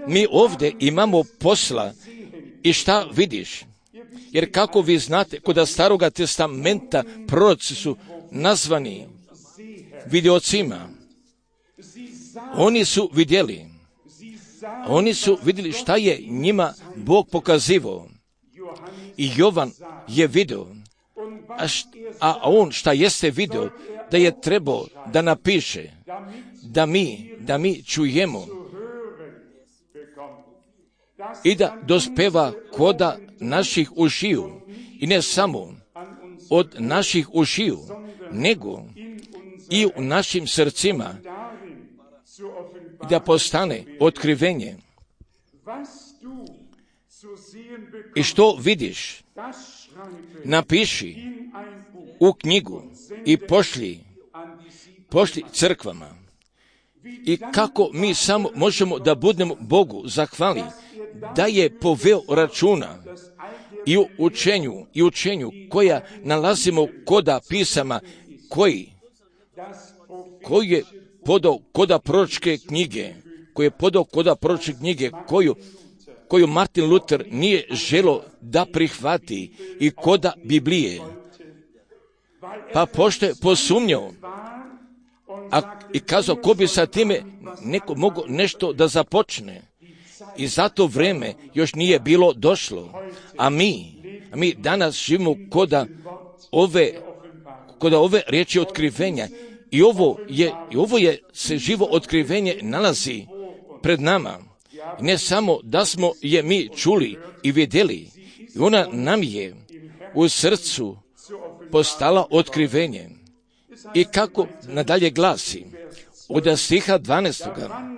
Mi ovdje imamo posla i šta vidiš? Jer kako vi znate, kod Staroga testamenta proroci su nazvani vidiocima. Oni su vidjeli, oni su vidjeli šta je njima Bog pokazivao. I Jovan je vidio, a, št, a on šta jeste vidio, da je trebao da napiše, da mi, da mi čujemo i da dospeva koda naših ušiju, i ne samo od naših ušiju, nego i u našim srcima, da postane otkrivenje. I što vidiš, napiši u knjigu i pošli, pošli crkvama. I kako mi samo možemo da budemo Bogu zahvali, da je poveo računa i u učenju, i učenju koja nalazimo koda pisama, koji, koji je podao koda proročke knjige, koji je podao koda proročke knjige, koju, koju Martin Luther nije želo da prihvati i koda Biblije. Pa pošto je posumnjao, a i kazao ko bi sa time neko mogo nešto da započne. I zato vreme još nije bilo došlo. A mi, a mi danas živimo koda ove, koda ove riječi otkrivenja. I ovo je, i ovo je se živo otkrivenje nalazi pred nama. I ne samo da smo je mi čuli i vidjeli, i ona nam je u srcu postala otkrivenje. I kako nadalje glasi, od stiha dvanaestoga.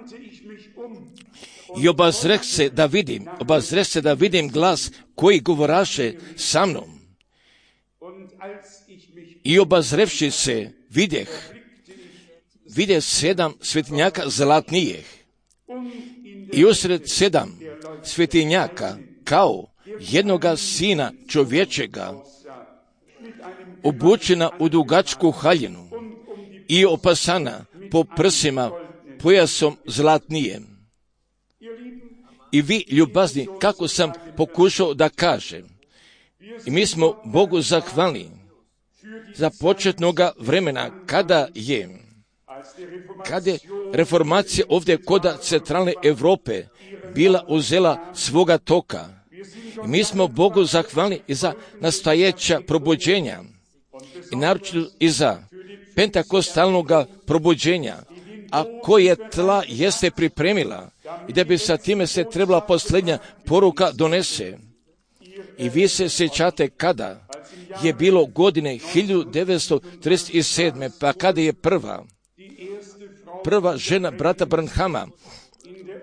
I obazreh se da vidim, obazreh se da vidim glas koji govoraše sa mnom. I obazrevši se vidjeh, vidjeh sedam svetinjaka zlatnijih. I usred sedam svetinjaka kao jednoga sina čovječega, obučena u dugačku haljinu i opasana po prsima pojasom zlatnijem. I vi, ljubazni, kako sam pokušao da kažem, i mi smo Bogu zahvalni za početnoga vremena kada je, kada je reformacija ovdje koda centralne Europe bila uzela svoga toka. I mi smo Bogu zahvalni i za nastajeća probuđenja i naročito i za pentakostalnog probuđenja, a koje tla jeste pripremila i da bi sa time se trebala posljednja poruka donese. I vi se sjećate kada je bilo godine hiljadu devetsto trideset sedme. pa kada je prva, prva žena brata Branhama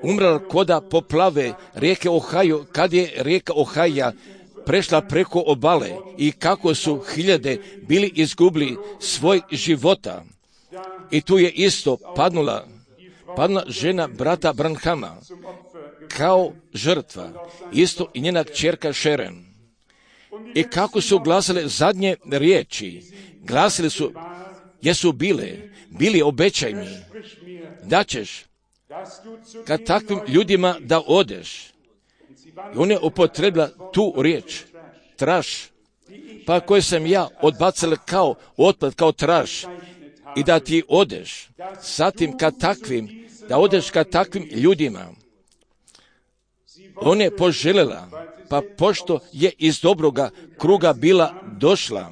umrla koda poplave rijeke Ohio, kad je rijeka Ohio prešla preko obale i kako su hiljade bili izgubili svoj života. I tu je isto padnula, padnula žena brata Branhama kao žrtva. Isto i njena kćerka Šeren. I kako su glasile zadnje riječi? Glasile su, jesu bile, bili obećaj mi, da ćeš kad takvim ljudima da odeš. I on je upotrebila tu riječ, traš, pa koje sam ja odbacila kao otpad, kao traš, i da ti odeš, zatim kad takvim, da odeš kad takvim ljudima. On je poželjela, pa pošto je iz dobroga kruga bila došla,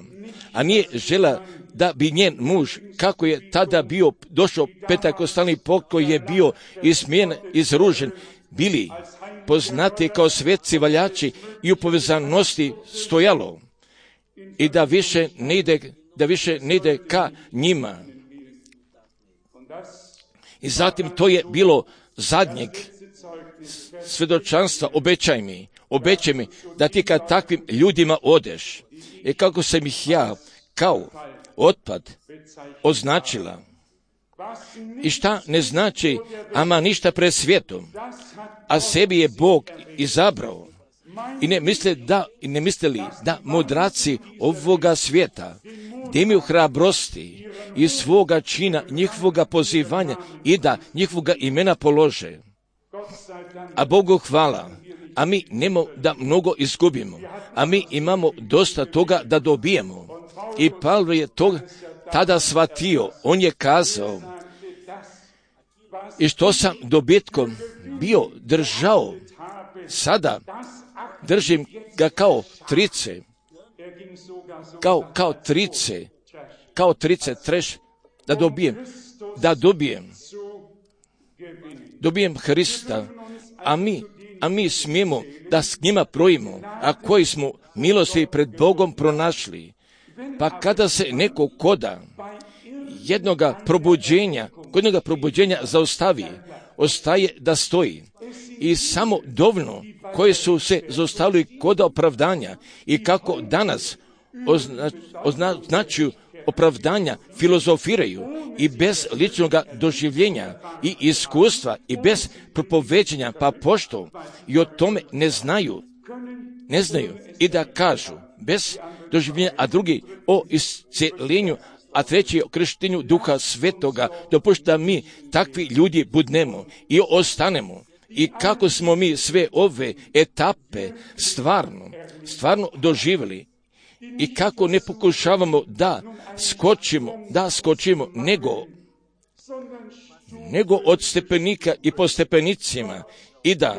a nije žela da bi njen muž, kako je tada bio došao petakostalni pokoj je bio ismijen, izružen, bili poznati kao svetci valjači i u povezanosti stojalo, i da više ne ide, da više ne ide ka njima. I zatim to je bilo zadnjeg svjedočanstva, obećaj mi, obećaj mi da ti kad takvim ljudima odeš. I kako sam ih ja kao otpad označila. I šta ne znači, ama ništa pred svijetom, a sebi je Bog izabrao. I ne misle da, i ne mislili da mudraci ovoga svijeta, da imaju hrabrosti i svoga čina, njihovoga pozivanja i da njihovoga imena polože. A Bogu hvala, a mi nemo da mnogo izgubimo, a mi imamo dosta toga da dobijemo. I Pavlo je to tada shvatio, on je kazao, i što sam dobitkom bio držao, sada držim ga kao trice, kao, kao trice, kao trice treš, da dobijem, da dobijem, dobijem Hrista, a mi, a mi smijemo da s njima projimo, a koji smo milosti pred Bogom pronašli. Pa kada se neko koda jednoga probuđenja, kod jednoga probuđenja zaustavi, ostaje da stoji. I samo dovoljno koji su se zaustavili kod opravdanja i kako danas ozna, označuju opravdanja, filozofiraju i bez ličnog doživljenja i iskustva i bez propoveđenja, pa pošto i o tome ne znaju, ne znaju i da kažu bez doživljenja, a drugi o isceljenju, a treći o krštenju Duha Svetoga, dopušta mi takvi ljudi budnemo i ostanemo. I kako smo mi sve ove etape stvarno, stvarno doživjeli i kako ne pokušavamo da skočimo, da skočimo, nego, nego od stepenika i po stepenicima i da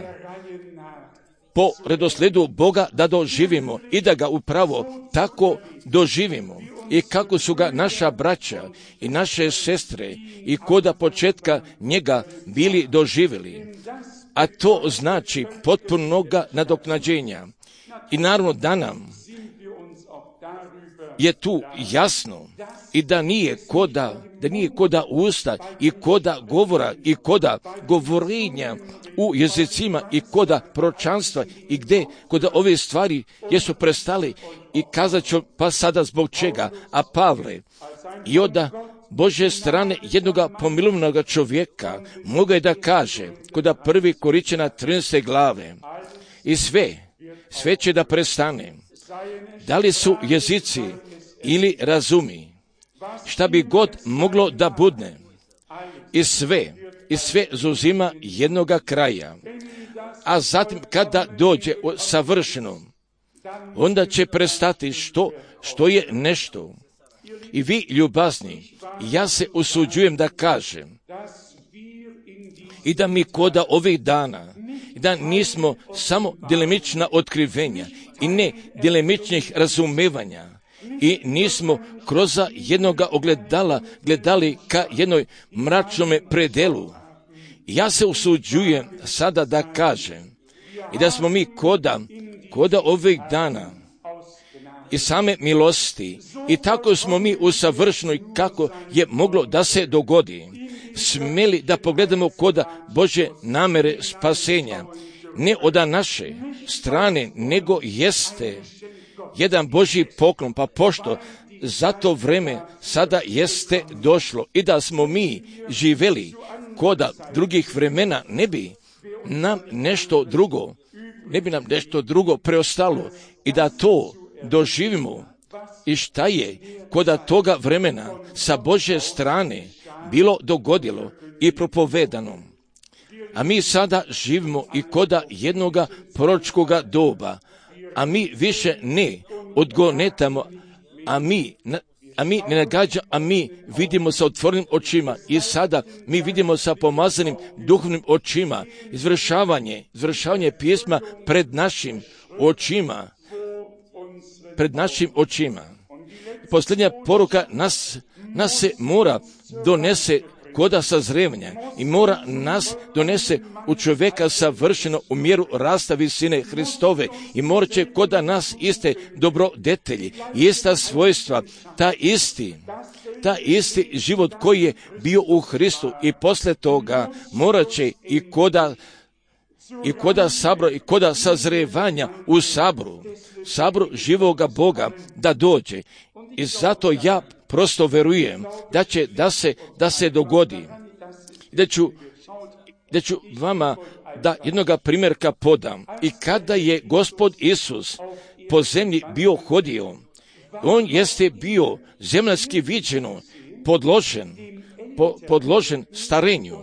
po redosledu Boga da doživimo i da ga upravo tako doživimo. I kako su ga naša braća i naše sestre i koda početka njega bili doživjeli. A to znači potpunoga nadoknađenja. I naravno da nam je tu jasno i da nije koda, da nije koda usta i koda govora i koda govorenja u jezicima i koda proročanstva i gdje koda ove stvari jesu prestali i kazat ću pa sada zbog čega, a Pavle i od Božje strane jednoga pomilovnog čovjeka mogu je da kaže koda prvi Koričana trinaeste glave i sve, sve će da prestane. Da li su jezici ili razumi, šta bi god moglo da budne, i sve, i sve zauzima jednoga kraja. A zatim kada dođe savršeno, onda će prestati što, što je nešto. I vi, ljubazni, ja se usuđujem da kažem i da mi koda ovih dana, i da nismo samo djelimična otkrivenja i ne djelimičnih razumevanja i nismo kroz jednoga ogledala gledali ka jednoj mračnome predelu. Ja se usuđujem sada da kažem i da smo mi koda, koda ovih dana i same milosti i tako smo mi usavršeni kako je moglo da se dogodi. Smeli da pogledamo koda Božje namere spasenja, ne od naše strane, nego jeste jedan Božji poklon, pa pošto za to vreme sada jeste došlo i da smo mi živeli koda drugih vremena ne bi, nam nešto drugo, ne bi nam nešto drugo preostalo i da to doživimo i šta je kod toga vremena sa Božje strane bilo dogodilo i propovedano. A mi sada živimo i koda jednoga proročkoga doba, a mi više ne odgonetamo, a mi, a mi ne nagađamo, a mi vidimo sa otvorenim očima i sada mi vidimo sa pomazanim duhovnim očima izvršavanje, izvršavanje pisma pred našim očima, pred našim očima. Posljednja poruka nas, nas se mora donese koda sazrevanja i mora nas donese u čovjeka savršeno u mjeru rasta visine Hristove i morat će koda nas iste dobrodetelji, ista svojstva, ta isti, ta isti život koji je bio u Hristu i posle toga morat će i koda i koda sabora i koda sazrevanja u sabru, sabru živoga Boga da dođe. I zato ja prosto verujem da će da se, da se dogodi. Da ću, da ću vama da jednoga primjerka podam. I kada je Gospod Isus po zemlji bio hodio, on jeste bio zemaljski viđeno, podložen, po, podložen starenju.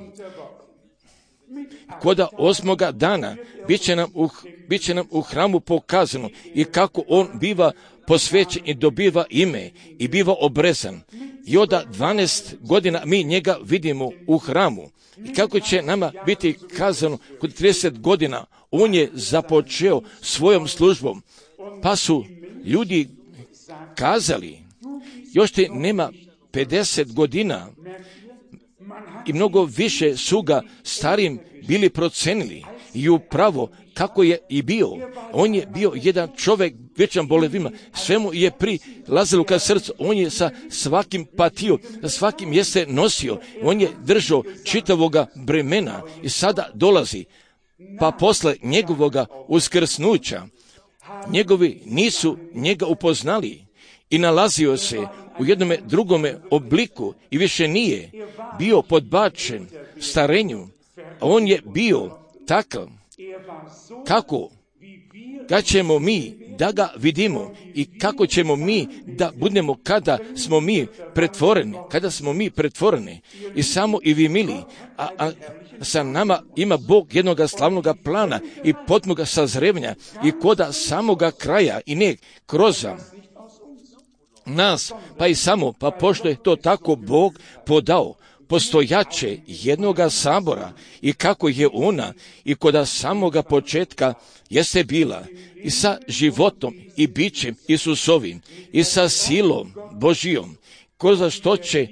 Koda osmoga dana bit će nam u, bit će nam u hramu pokazano i kako on biva posvećen i dobiva ime i biva obrezan. I od dvanaest godina mi njega vidimo u hramu. I kako će nama biti kazano kod trideset godina, on je započeo svojom službom. Pa su ljudi kazali, još ti nema pedeset godina i mnogo više su ga starim bili procenili i upravo kako je i bio. On je bio jedan čovjek vječan bolevima, sve mu je prilazilo ka srcu, on je sa svakim patio, sa svakim je se nosio, on je držao čitavoga bremena i sada dolazi, pa posle njegovoga uskrsnuća, njegovi nisu njega upoznali i nalazio se u jednome drugome obliku i više nije bio podbačen starenju, a on je bio takav kako kad ćemo mi da ga vidimo i kako ćemo mi da budemo kada smo mi pretvoreni, kada smo mi pretvoreni i samo i vi mili, a, a sa nama ima Bog jednoga slavnoga plana i potpunoga sazrevanja i koda samoga kraja i ne kroz nas, pa i samo, pa pošto je to tako Bog podao, postojaće jednoga sabora i kako je ona i koda samoga početka jeste bila i sa životom i bićem Isusovim i sa silom Božijom, ko za što će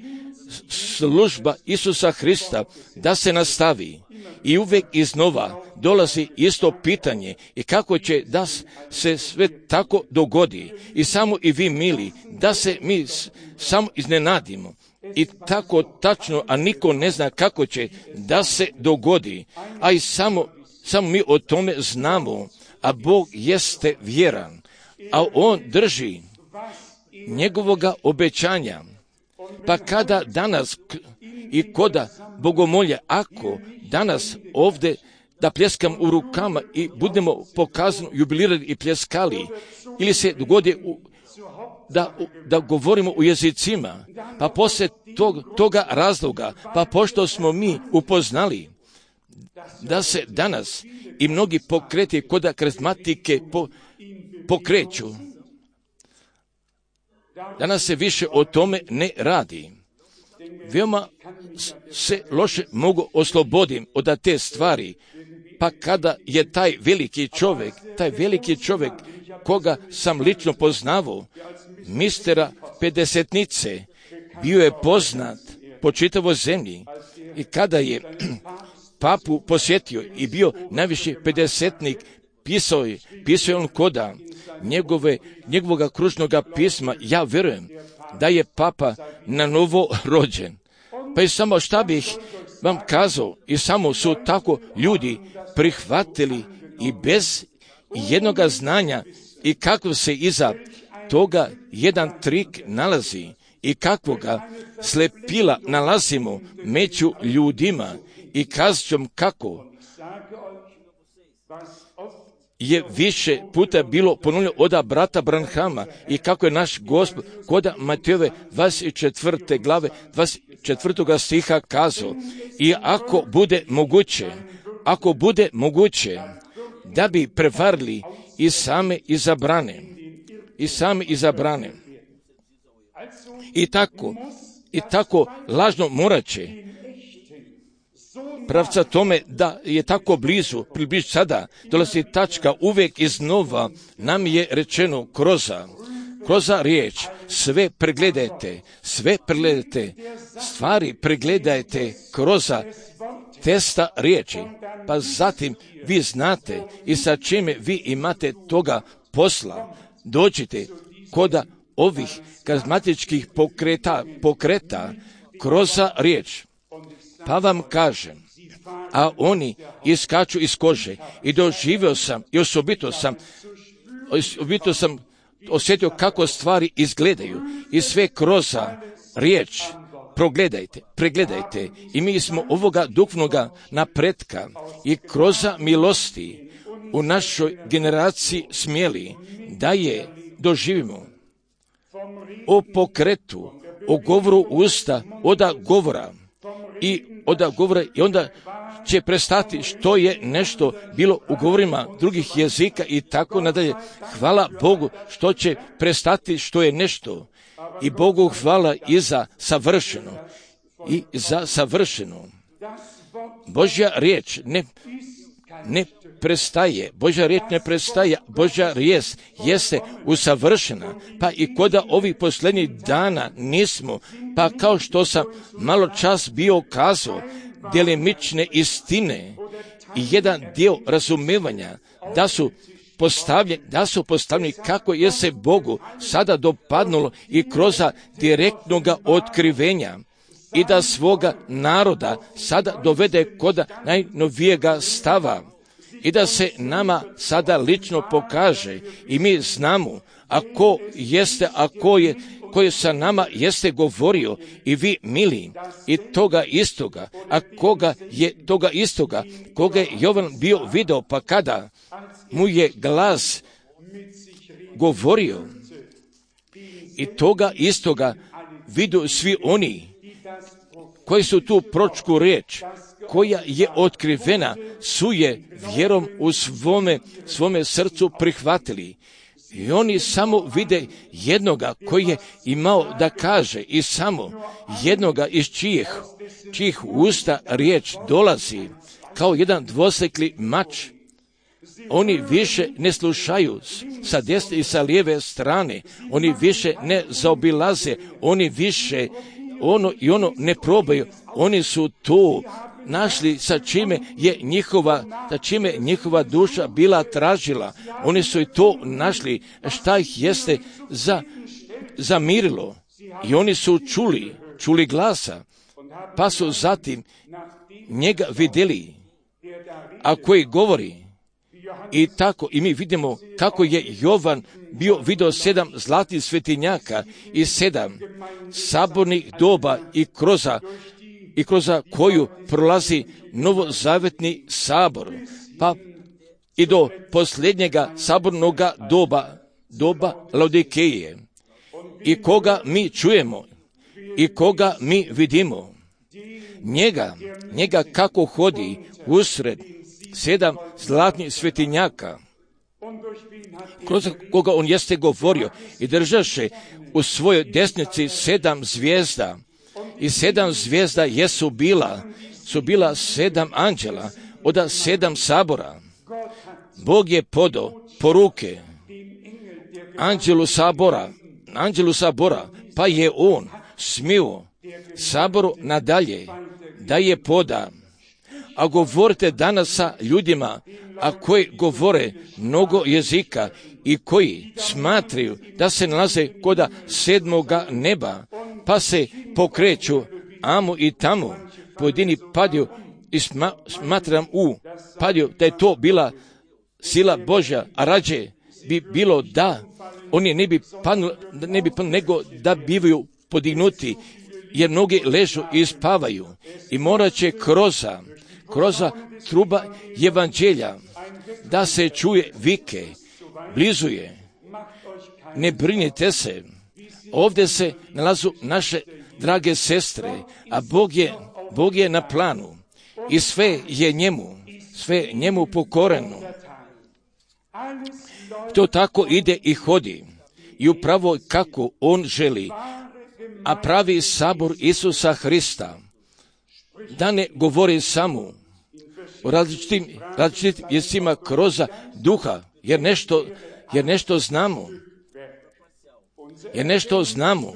služba Isusa Hrista da se nastavi i uvijek iznova dolazi isto pitanje i kako će da se sve tako dogodi i samo i vi mili da se mi samo iznenadimo i tako tačno, a niko ne zna kako će da se dogodi, a i samo, samo mi o tome znamo, a Bog jeste vjeran, a On drži njegovoga obećanja. Pa kada danas i koda bogomolja, ako danas ovdje da pljeskam u rukama i budemo pokazano jubilirali i pljeskali, ili se dogodi u, da, da govorimo u jezicima, pa poslije tog, toga razloga, pa pošto smo mi upoznali da se danas i mnogi pokreti koda karizmatike po, pokreću, danas se više o tome ne radi. Veoma se loše mogu oslobodim od te stvari, pa kada je taj veliki čovjek, taj veliki čovjek koga sam lično poznavao, mistera pedesetnice, bio je poznat po čitavoj zemlji i kada je papu posjetio i bio najviši pedesetnik, pisao je, pisao je on koda njegove, njegovoga kružnoga pisma, ja vjerujem da je papa na novo rođen. Pa i samo šta bih vam kazao, i samo su tako ljudi prihvatili i bez jednoga znanja i kako se iza toga jedan trik nalazi i kakvoga slepila nalazimo među ljudima i kazćom kako je više puta bilo ponovljeno od brata Branhama i kako je naš Gospod koda Matejove dvadeset četvrte glave dvadeset četvrtog stiha kazao, i ako bude moguće, ako bude moguće da bi prevarili i same izabrane, i same izabrane. I tako, i tako lažno morat će pravca tome da je tako blizu, približ sada, dolazi tačka uvijek iznova, nam je rečeno kroza, kroza riječ, sve pregledajte, sve pregledajte, stvari pregledajte kroza testa riječi, pa zatim vi znate i sa čime vi imate toga posla, dođite koda ovih karizmatičkih pokreta, pokreta kroza riječ. Pa vam kažem, a oni iskaču iz kože i doživio sam i osobito sam, osobito sam osjetio kako stvari izgledaju i sve kroz riječ. Progledajte, pregledajte i mi smo ovoga duhovnoga napretka i kroz milosti u našoj generaciji smjeli da je doživimo o pokretu, o govoru usta, oda govora i oda govora i onda će prestati što je nešto bilo u govorima drugih jezika i tako nadalje. Hvala Bogu što će prestati što je nešto i Bogu hvala i za savršeno i za savršeno. Božja riječ ne, ne prestaje, Božja riječ ne prestaje, Božja riječ jeste usavršena, pa i koda ovih posljednjih dana nismo, pa kao što sam malo čas bio kazao, djelimične istine i jedan dio razumevanja da su postavljeni, da su postavljeni kako je se Bogu sada dopadnulo i kroz direktnoga otkrivenja i da svoga naroda sada dovede kod najnovijega stava i da se nama sada lično pokaže i mi znamo ako jeste, ako je koji sa nama jeste govorio i vi mili i toga istoga, a koga je toga istoga, koga je Jovan bio video, pa kada mu je glas govorio i toga istoga vidu svi oni koji su tu pročku riječ, koja je otkrivena, su je vjerom u svome, svome srcu prihvatili. I oni samo vide jednoga koji je imao da kaže i samo jednoga iz čijih, čijih usta riječ dolazi kao jedan dvosekli mač. Oni više ne slušaju sa desne i sa lijeve strane, oni više ne zaobilaze, oni više ono i ono ne probaju, oni su to našli sa čime je njihova, sa čime njihova duša bila tražila. Oni su i to našli šta ih jeste za, zamirilo. I oni su čuli, čuli glasa, pa su zatim njega vidjeli, a koji govori. I tako, i mi vidimo kako je Jovan bio vidio sedam zlatih svetinjaka i sedam sabornih doba i kroz i kroz koju prolazi novozavetni sabor, pa i do posljednjega sabornoga doba, doba Laodikeje. I koga mi čujemo i koga mi vidimo, njega, njega kako hodi usred sedam zlatnih svetinjaka, kroz koga on jeste govorio i držaše u svojoj desnici sedam zvijezda. I sedam zvijezda jesu bila, su bila sedam anđela od sedam sabora. Bog je podao poruke anđelu sabora, anđelu sabora, pa je on smio saboru nadalje da je poda. A govorite danas sa ljudima, a koji govore mnogo jezika i koji smatraju da se nalaze koda sedmoga neba, pa se pokreću amo i tamo, pojedini padju i sma, smatram u padju da je to bila sila Božja, a rađe bi bilo da oni ne bi padnuli, ne bi padnuli, nego da bivaju podignuti, jer mnogi ležu i spavaju i morat će kroz kroz truba evanđelja da se čuje vike, blizu je. Ne brinite se, ovdje se nalazu naše drage sestre, a Bog je, Bog je na planu i sve je njemu, sve njemu pokoreno. To tako ide i hodi i upravo kako on želi, a pravi sabor Isusa Hrista, da ne govori samo o različitim, različitim jezicima kroz duha, jer nešto, jer nešto znamo, jer nešto znamo,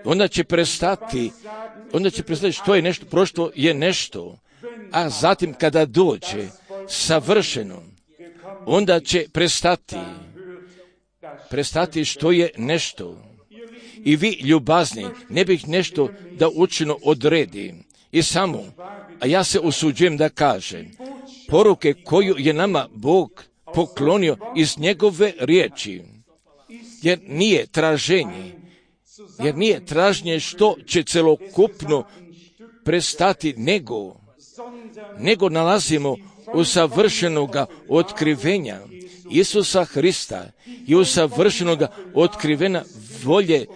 onda će prestati, onda će prestati što je nešto, prošlo je nešto, a zatim kada dođe savršeno, onda će prestati, prestati što je nešto. I vi, ljubazni, ne bih nešto da učino odredi. I samo, a ja se usuđujem da kažem, poruke koju je nama Bog poklonio iz njegove riječi, jer nije traženje, jer nije traženje što će celokupno prestati, nego, nego nalazimo u savršenoga otkrivenja Isusa Hrista i u savršenoga otkrivena volje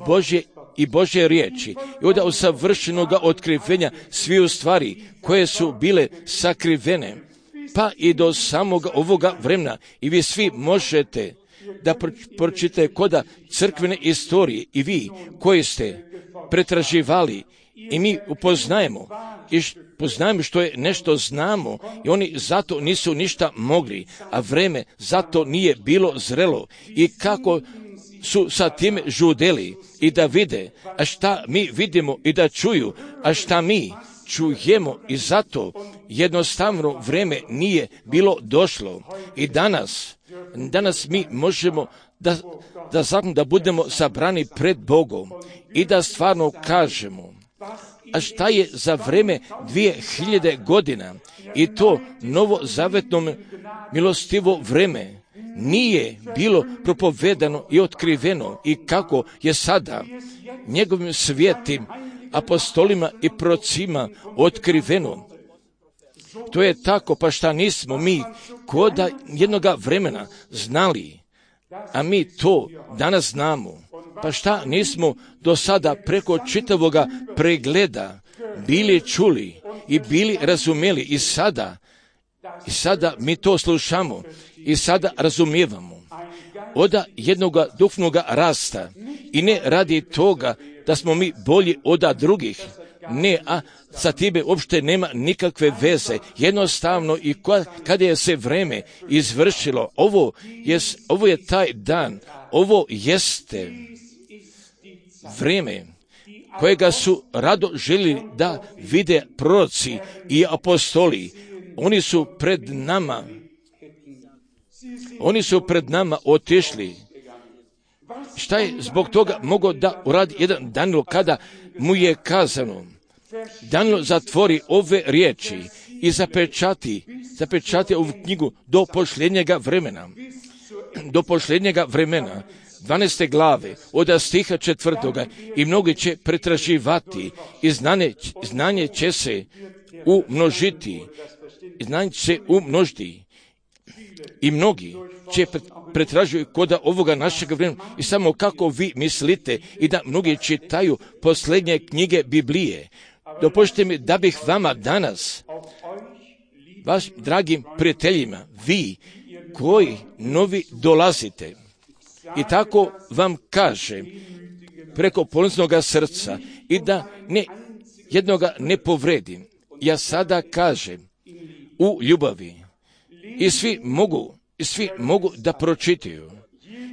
Božje i Božje riječi i onda u savršenoga otkrivenja svih stvari koje su bile sakrivene, pa i do samoga ovoga vremena. I vi svi možete da pročitate koda crkvene istorije i vi koji ste pretraživali i mi upoznajemo i poznajemo što je nešto znamo i oni zato nisu ništa mogli, a vreme zato nije bilo zrelo i kako su sa tim žudeli i da vide, a šta mi vidimo i da čuju, a šta mi čujemo i zato jednostavno vreme nije bilo došlo. I danas, danas mi možemo da, da, da budemo sabrani pred Bogom i da stvarno kažemo, a šta je za vreme dvije hiljade godina i to novozavetno milostivo vreme nije bilo propovedano i otkriveno i kako je sada njegovim svijetim apostolima i procima otkriveno. To je tako, pa šta nismo mi koda jednoga vremena znali, a mi to danas znamo. Pa šta nismo do sada preko čitavoga pregleda bili čuli i bili razumjeli i sada, i sada mi to slušamo i sada razumijevamo. Oda jednoga duhovnoga rasta i ne radi toga da smo mi bolji od drugih, ne, a sa time uopšte nema nikakve veze. Jednostavno i kada je se vreme izvršilo, ovo je, ovo je taj dan, ovo jeste vrijeme kojega su rado željeli da vide proroci i apostoli. Oni su pred nama, oni su pred nama otišli. Šta je zbog toga mogao da uradi jedan Danilo kada mu je kazano, Danilo zatvori ove riječi i zapečati, zapečati ovu knjigu do posljednjega vremena, do posljednjega vremena. dvanaeste glave, od stiha četvrtoga, i mnogi će pretraživati i znanje, znanje će se umnožiti, znanje će se umnožiti i mnogi će pretražuju koda ovoga našeg vremena i samo kako vi mislite i da mnogi čitaju posljednje knjige Biblije. Dopustite mi da bih vama danas, vaš dragim prijateljima, vi koji novi dolazite, i tako vam kažem preko poniznoga srca i da ne, jednoga ne povredim. Ja sada kažem u ljubavi i svi mogu, i svi mogu da pročitaju.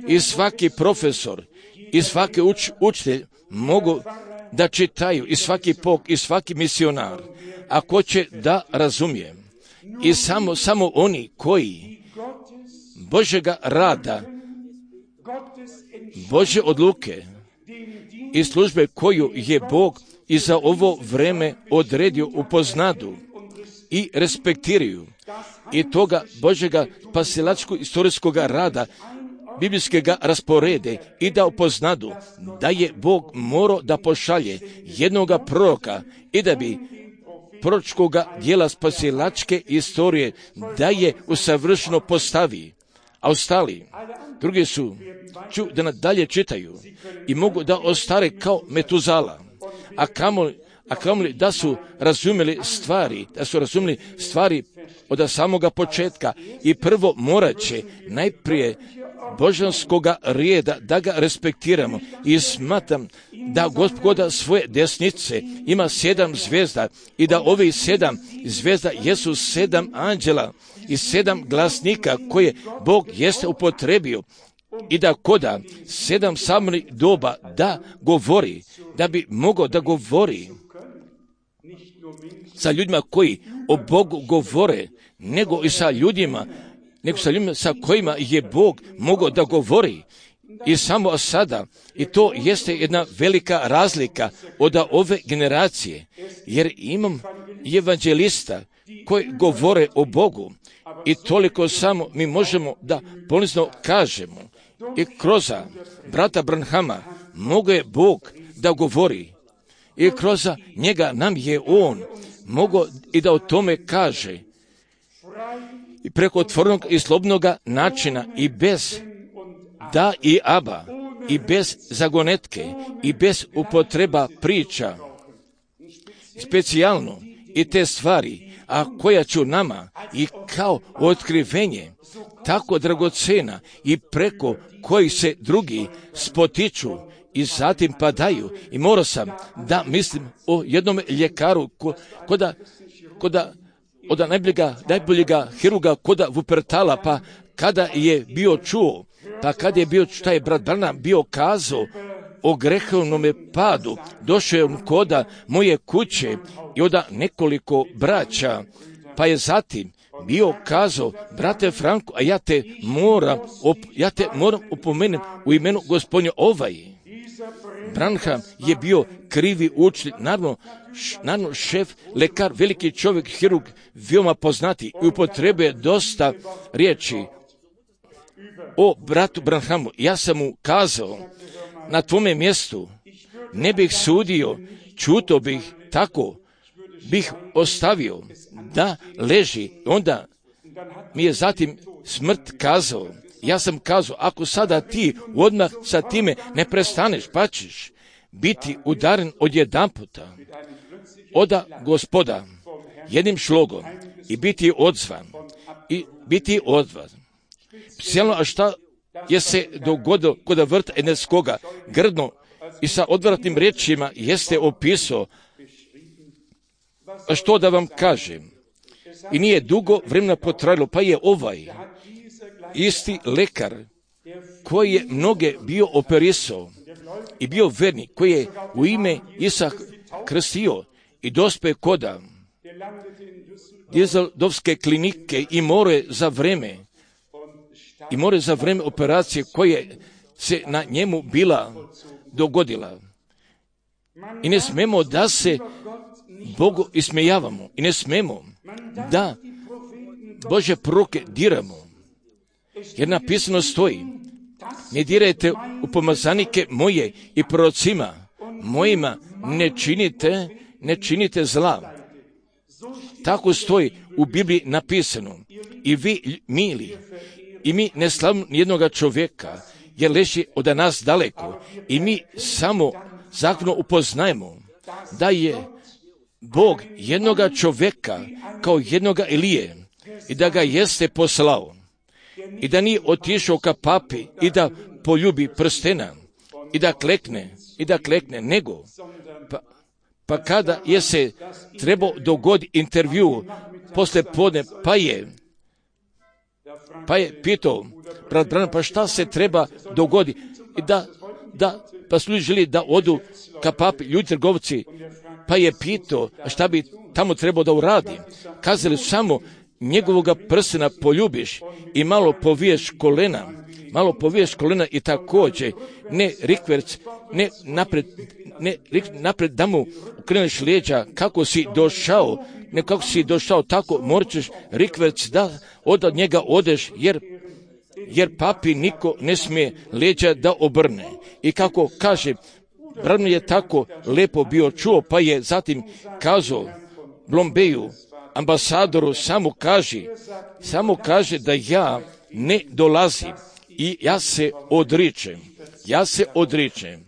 I svaki profesor i svaki uč, učitelj mogu da čitaju i svaki pok i svaki misionar, ako će da razumije. I samo, samo oni koji Božjega rada, Božje odluke i službe koju je Bog i za ovo vreme odredio upoznadu i respektiraju i toga Božjega spasilačkog istorijskog rada biblijskega rasporede i da upoznadu da je Bog morao da pošalje jednoga proroka i da bi proročkoga dijela spasilačke istorije, da je usavršeno postavi, a ostali, drugi su, ću da nadalje čitaju i mogu da ostare kao Metuzala, a kamoli, a kamoli da su razumjeli stvari, da su razumjeli stvari od samoga početka i prvo morat će najprije božanskoga rijeda da ga respektiramo i smatram da Gospoda svoje desnice ima sedam zvijezda i da ovi sedam zvijezda jesu sedam anđela i sedam glasnika koje Bog jeste upotrebio i da koda sedam samih doba da govori, da bi mogao da govori sa ljudima koji o Bogu govore, nego i sa ljudima, nego sa ljudima sa kojima je Bog mogao da govori. I samo sada, i to jeste jedna velika razlika od ove generacije, jer imam evanđelista koji govore o Bogu i toliko samo mi možemo da ponizno kažemo i kroz brata Branhama mogo je Bog da govori i kroz njega nam je on mogao i da o tome kaže i preko otvorenog i slobodnog načina i bez da i aba i bez zagonetke i bez upotreba priča specijalno i te stvari, a koja ću nama i kao otkrivenje tako dragocena i preko kojih se drugi spotiču i zatim padaju. I morao sam da mislim o jednom ljekaru ko, koda, koda od najboljega, najboljega hiruga koda Vupertala, pa kada je bio čuo, pa kada je bio, šta je brat Branham bio kazao o grehovnom padu, došao je on koda moje kuće i oda nekoliko braća, pa je zatim bio kazao, brate Franko, a ja te moram, op, ja te moram opomenem u imenu Gospodnje ovaj. Branham je bio krivi učitelj, naravno, š, naravno šef, lekar, veliki čovjek, hirurg, veoma poznati i upotrebuje dosta riječi o bratu Branhamu. Ja sam mu kazao, na tvome mjestu ne bih sudio, čuto bih, tako bih ostavio da leži. Onda mi je zatim smrt kazao. Ja sam kazao, ako sada ti odmah sa time ne prestaneš, pa ćeš biti udaren od jedan puta oda Gospoda jednim šlogom i biti odzvan i biti odzvan. Cijelno, a šta je se dogodilo kod vrta Eneskoga grdno i sa odvratnim riječima jeste opisao, a što da vam kažem, i nije dugo vremena potrajalo, pa je ovaj isti lekar koji je mnoge bio operisao i bio vernik, koji je u ime Isa krstio i dospe koda Djezeldovske klinike i more za vreme i more za vreme operacije koje se na njemu bila dogodila. I ne smemo da se Bogu ismejavamo i ne smemo da Božje proroke diramo, jer napisano stoji, ne dirajte u pomazanike moje i prorocima mojima ne činite, ne činite zla. Tako stoji u Bibliji napisano. I vi, mili, i mi ne slavimo nijednoga čovjeka, jer leži od nas daleko, i mi samo zakonom upoznajemo da je Bog jednoga čovjeka kao jednoga Elije i da ga jeste poslao i da nije otišao ka papi i da poljubi prstena i da klekne i da klekne, nego pa, pa kada je se trebao dogoditi intervju posle podne, pa je pa je pitao brat Branham, pa šta se treba dogoditi i da, da pa su ljudi želi da odu ka papi, ljudi trgovci, pa je pitao šta bi tamo trebao da uradi. Kazali su samo njegovoga prstena poljubiš i malo poviješ kolena, malo poviješ kolena i također ne rikverc, ne napred, ne napred da mu ukreneš lijeđa kako si došao, ne kako si došao, tako morat ćeš rikverc da od njega odeš, jer jer papi niko ne smije leđa da obrne. I kako kaže, Branham je tako lepo bio čuo, pa je zatim kazao Blombeju, ambasadoru, samo kaže, samo kaže da ja ne dolazim i ja se odričem, ja se odričem.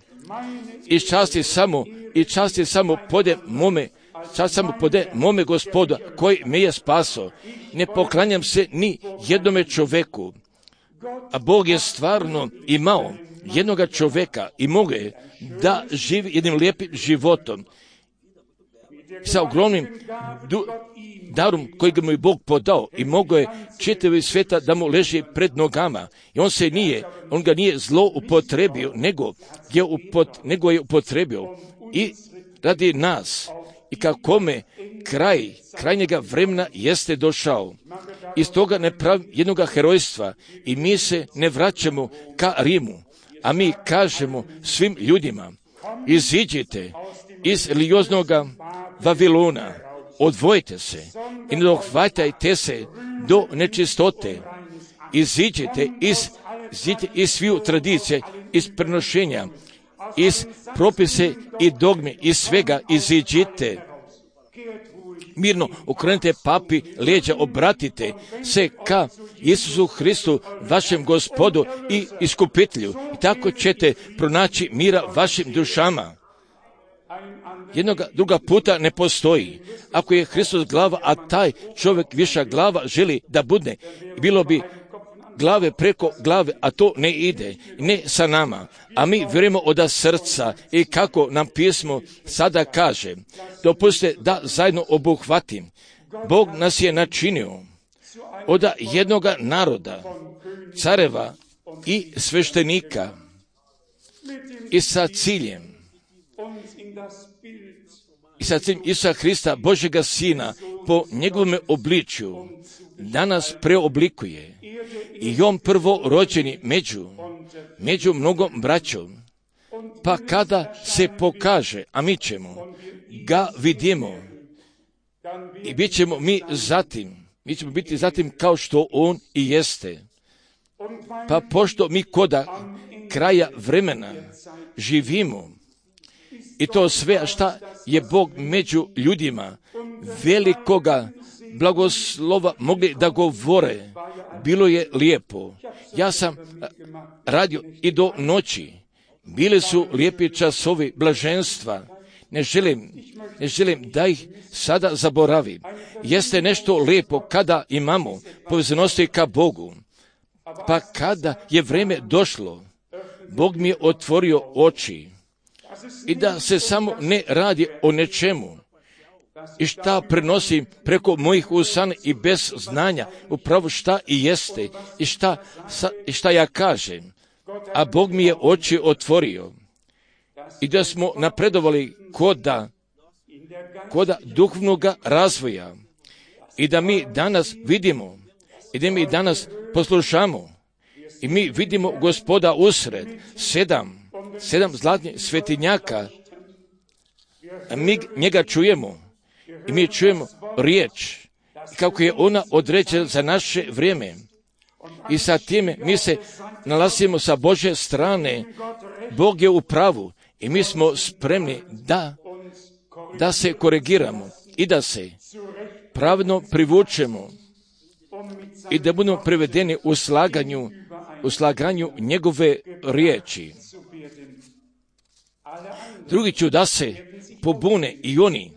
I čast je samo, i čast je samo pode mome, čast samo pode mome Gospoda koji me je spasao. Ne poklanjam se ni jednome čoveku, a Bog je stvarno imao jednoga čoveka i mogu je da živi jednim lijepim životom sa ogromnim du, darom kojeg mu je Bog podao i mogo je čitavi svijeta da mu leži pred nogama. I on se nije, on ga nije zlo upotrebio, nego je, upot, nego je upotrebio i radi nas. I kakome kraj, kraj njega vremena jeste došao. Iz toga ne pravi jednoga herojstva i mi se ne vraćamo ka Rimu, a mi kažemo svim ljudima, iziđite iz religioznoga Vavilona, odvojite se i ne dohvatajte se do nečistote, iziđite iz, iziđite iz sviju tradicije, iz prenošenja, iz propise i dogme, iz svega iziđite. Mirno okrenite papi leđa, obratite se ka Isusu Hristu, vašem Gospodu i iskupitelju. I tako ćete pronaći mira vašim dušama. Jednoga druga puta ne postoji. Ako je Hristos glava, a taj čovjek viša glava želi da bude, bilo bi glave preko glave, a to ne ide, ne sa nama. A mi vjerujemo od srca i kako nam pismo sada kaže, dopustite da zajedno obuhvatim. Bog nas je načinio od jednoga naroda, careva i sveštenika i sa ciljem, i sa ciljem Isusa Hrista, Božjega Sina, po njegovom obličju, da nas preoblikuje. I on prvo rođeni među, među mnogom braćom. Pa kada se pokaže, a mi ćemo ga vidimo, i bit ćemo mi zatim, mi ćemo biti zatim kao što on i jeste. Pa pošto mi koda kraja vremena živimo, i to sve šta je Bog među ljudima velikoga blagoslova mogli da govore, bilo je lijepo. Ja sam radio i do noći. Bili su lijepi časovi blaženstva. Ne želim, ne želim da ih sada zaboravim. Jeste nešto lijepo kada imamo povezanosti ka Bogu. Pa kada je vrijeme došlo, Bog mi je otvorio oči i da se samo ne radi o nečemu i šta prenosim preko mojih usana i bez znanja upravo šta i jeste i šta, sa, i šta ja kažem. A Bog mi je oči otvorio i da smo napredovali koda, koda duhovnog razvoja i da mi danas vidimo i da mi danas poslušamo i mi vidimo Gospoda usred sedam, sedam zlatnih svetinjaka, a mi njega čujemo. I mi čujemo riječ, kako je ona određena za naše vrijeme. I sa time mi se nalazimo sa Božje strane. Bog je u pravu i mi smo spremni da, da se korigiramo i da se pravilno privučemo i da budemo privedeni u slaganju, u slaganju njegove riječi. Drugi ću da se pobune i oni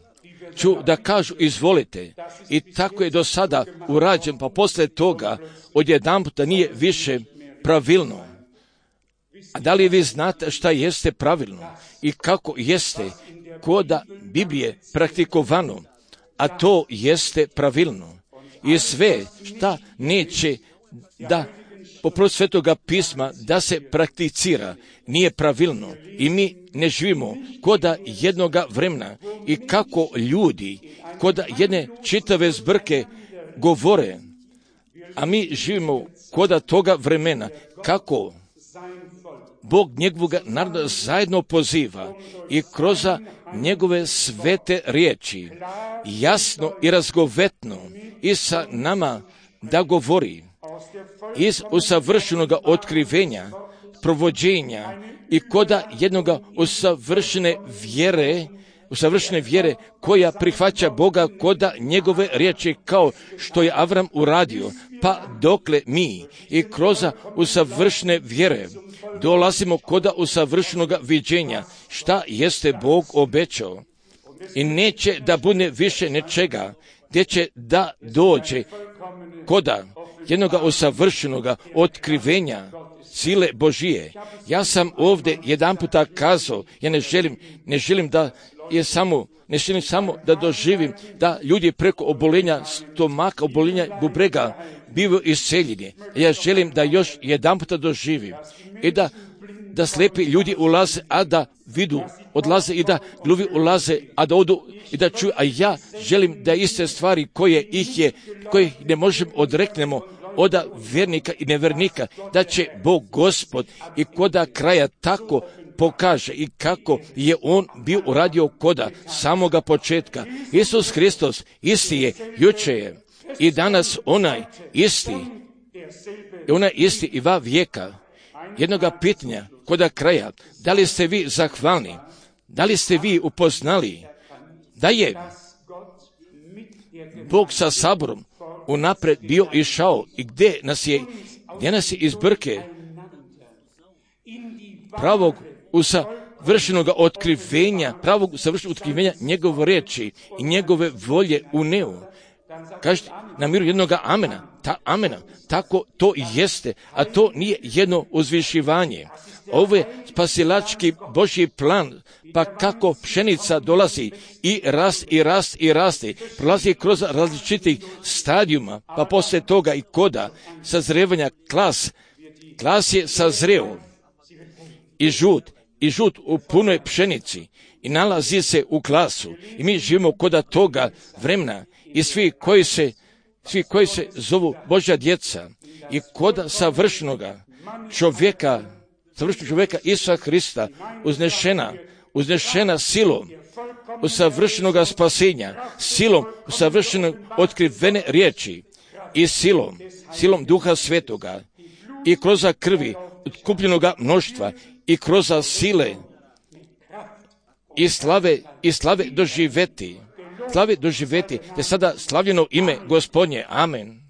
ću da kažu izvolite. I tako je do sada urađen, pa poslije toga odjedanputa nije više pravilno. A da li vi znate šta jeste pravilno i kako jeste koda Biblije praktikovano, a to jeste pravilno. I sve šta neće da poput Svetoga pisma da se prakticira nije pravilno i mi ne živimo koda jednoga vremena i kako ljudi koda jedne čitave zbrke govore, a mi živimo koda toga vremena kako Bog njegovog naroda zajedno poziva i kroz njegove svete riječi jasno i razgovetno i sa nama da govori iz usavršenog otkrivenja, provođenja i koda jednoga usavršene vjere usavršene vjere koja prihvaća Boga koda njegove riječi kao što je Avram uradio, pa dokle mi i kroz usavršene vjere dolazimo koda usavršenoga viđenja šta jeste Bog obećao i neće da bude više nečega gdje će da dođe koda jednoga usavršenoga otkrivenja sile Božije. Ja sam ovdje jedan puta kazao, ja ne želim, ne želim da je samo, ne želim samo da doživim da ljudi preko obolenja stomaka, obolenja bubrega bivaju isceljeni. Ja želim da još jedan puta doživim i da, da slepi ljudi ulaze, a da vidu, odlaze i da gluvi ulaze, a da odu i da čuju, a ja želim da iste stvari koje ih je, koje ne možemo odreknemo od vjernika i nevernika, da će Bog Gospod i koda kraja tako pokaže i kako je On bio uradio koda samoga početka. Isus Hristos isti je, juče je i danas onaj isti, i onaj isti i va vijeka. Jednoga pitanja koda kraja, da li ste vi zahvalni, da li ste vi upoznali da je Bog sa saborom unapred bio išao i gdje nas je, gdje nas je iz brke pravog usavršenog otkrivenja, pravog usavršenog otkrivenja njegove riječi i njegove volje uneo. Kažete na miru jednoga amena, ta amena, tako to i jeste, a to nije jedno uzvišivanje. Ovo je spasilački Božji plan, pa kako pšenica dolazi i rast i rast i raste, prolazi kroz različitih stadijuma, pa poslije toga i koda sazrevanja klas, klas je sazreo i žut, i žut u punoj pšenici i nalazi se u klasu i mi živimo koda toga vremena i svi koji se, svi koji se zovu Božja djeca i koda savršenoga čovjeka, savršenog čovjeka Isusa Hrista, uznešena, uznešena silom usavršenoga spasenja, silom usavršenog otkrivene riječi i silom, silom Duha Svetoga i kroz krvi otkupljenoga mnoštva i kroz sile i slave, i slave doživeti, slave doživeti, te sada slavljeno ime Gospodnje. Amen.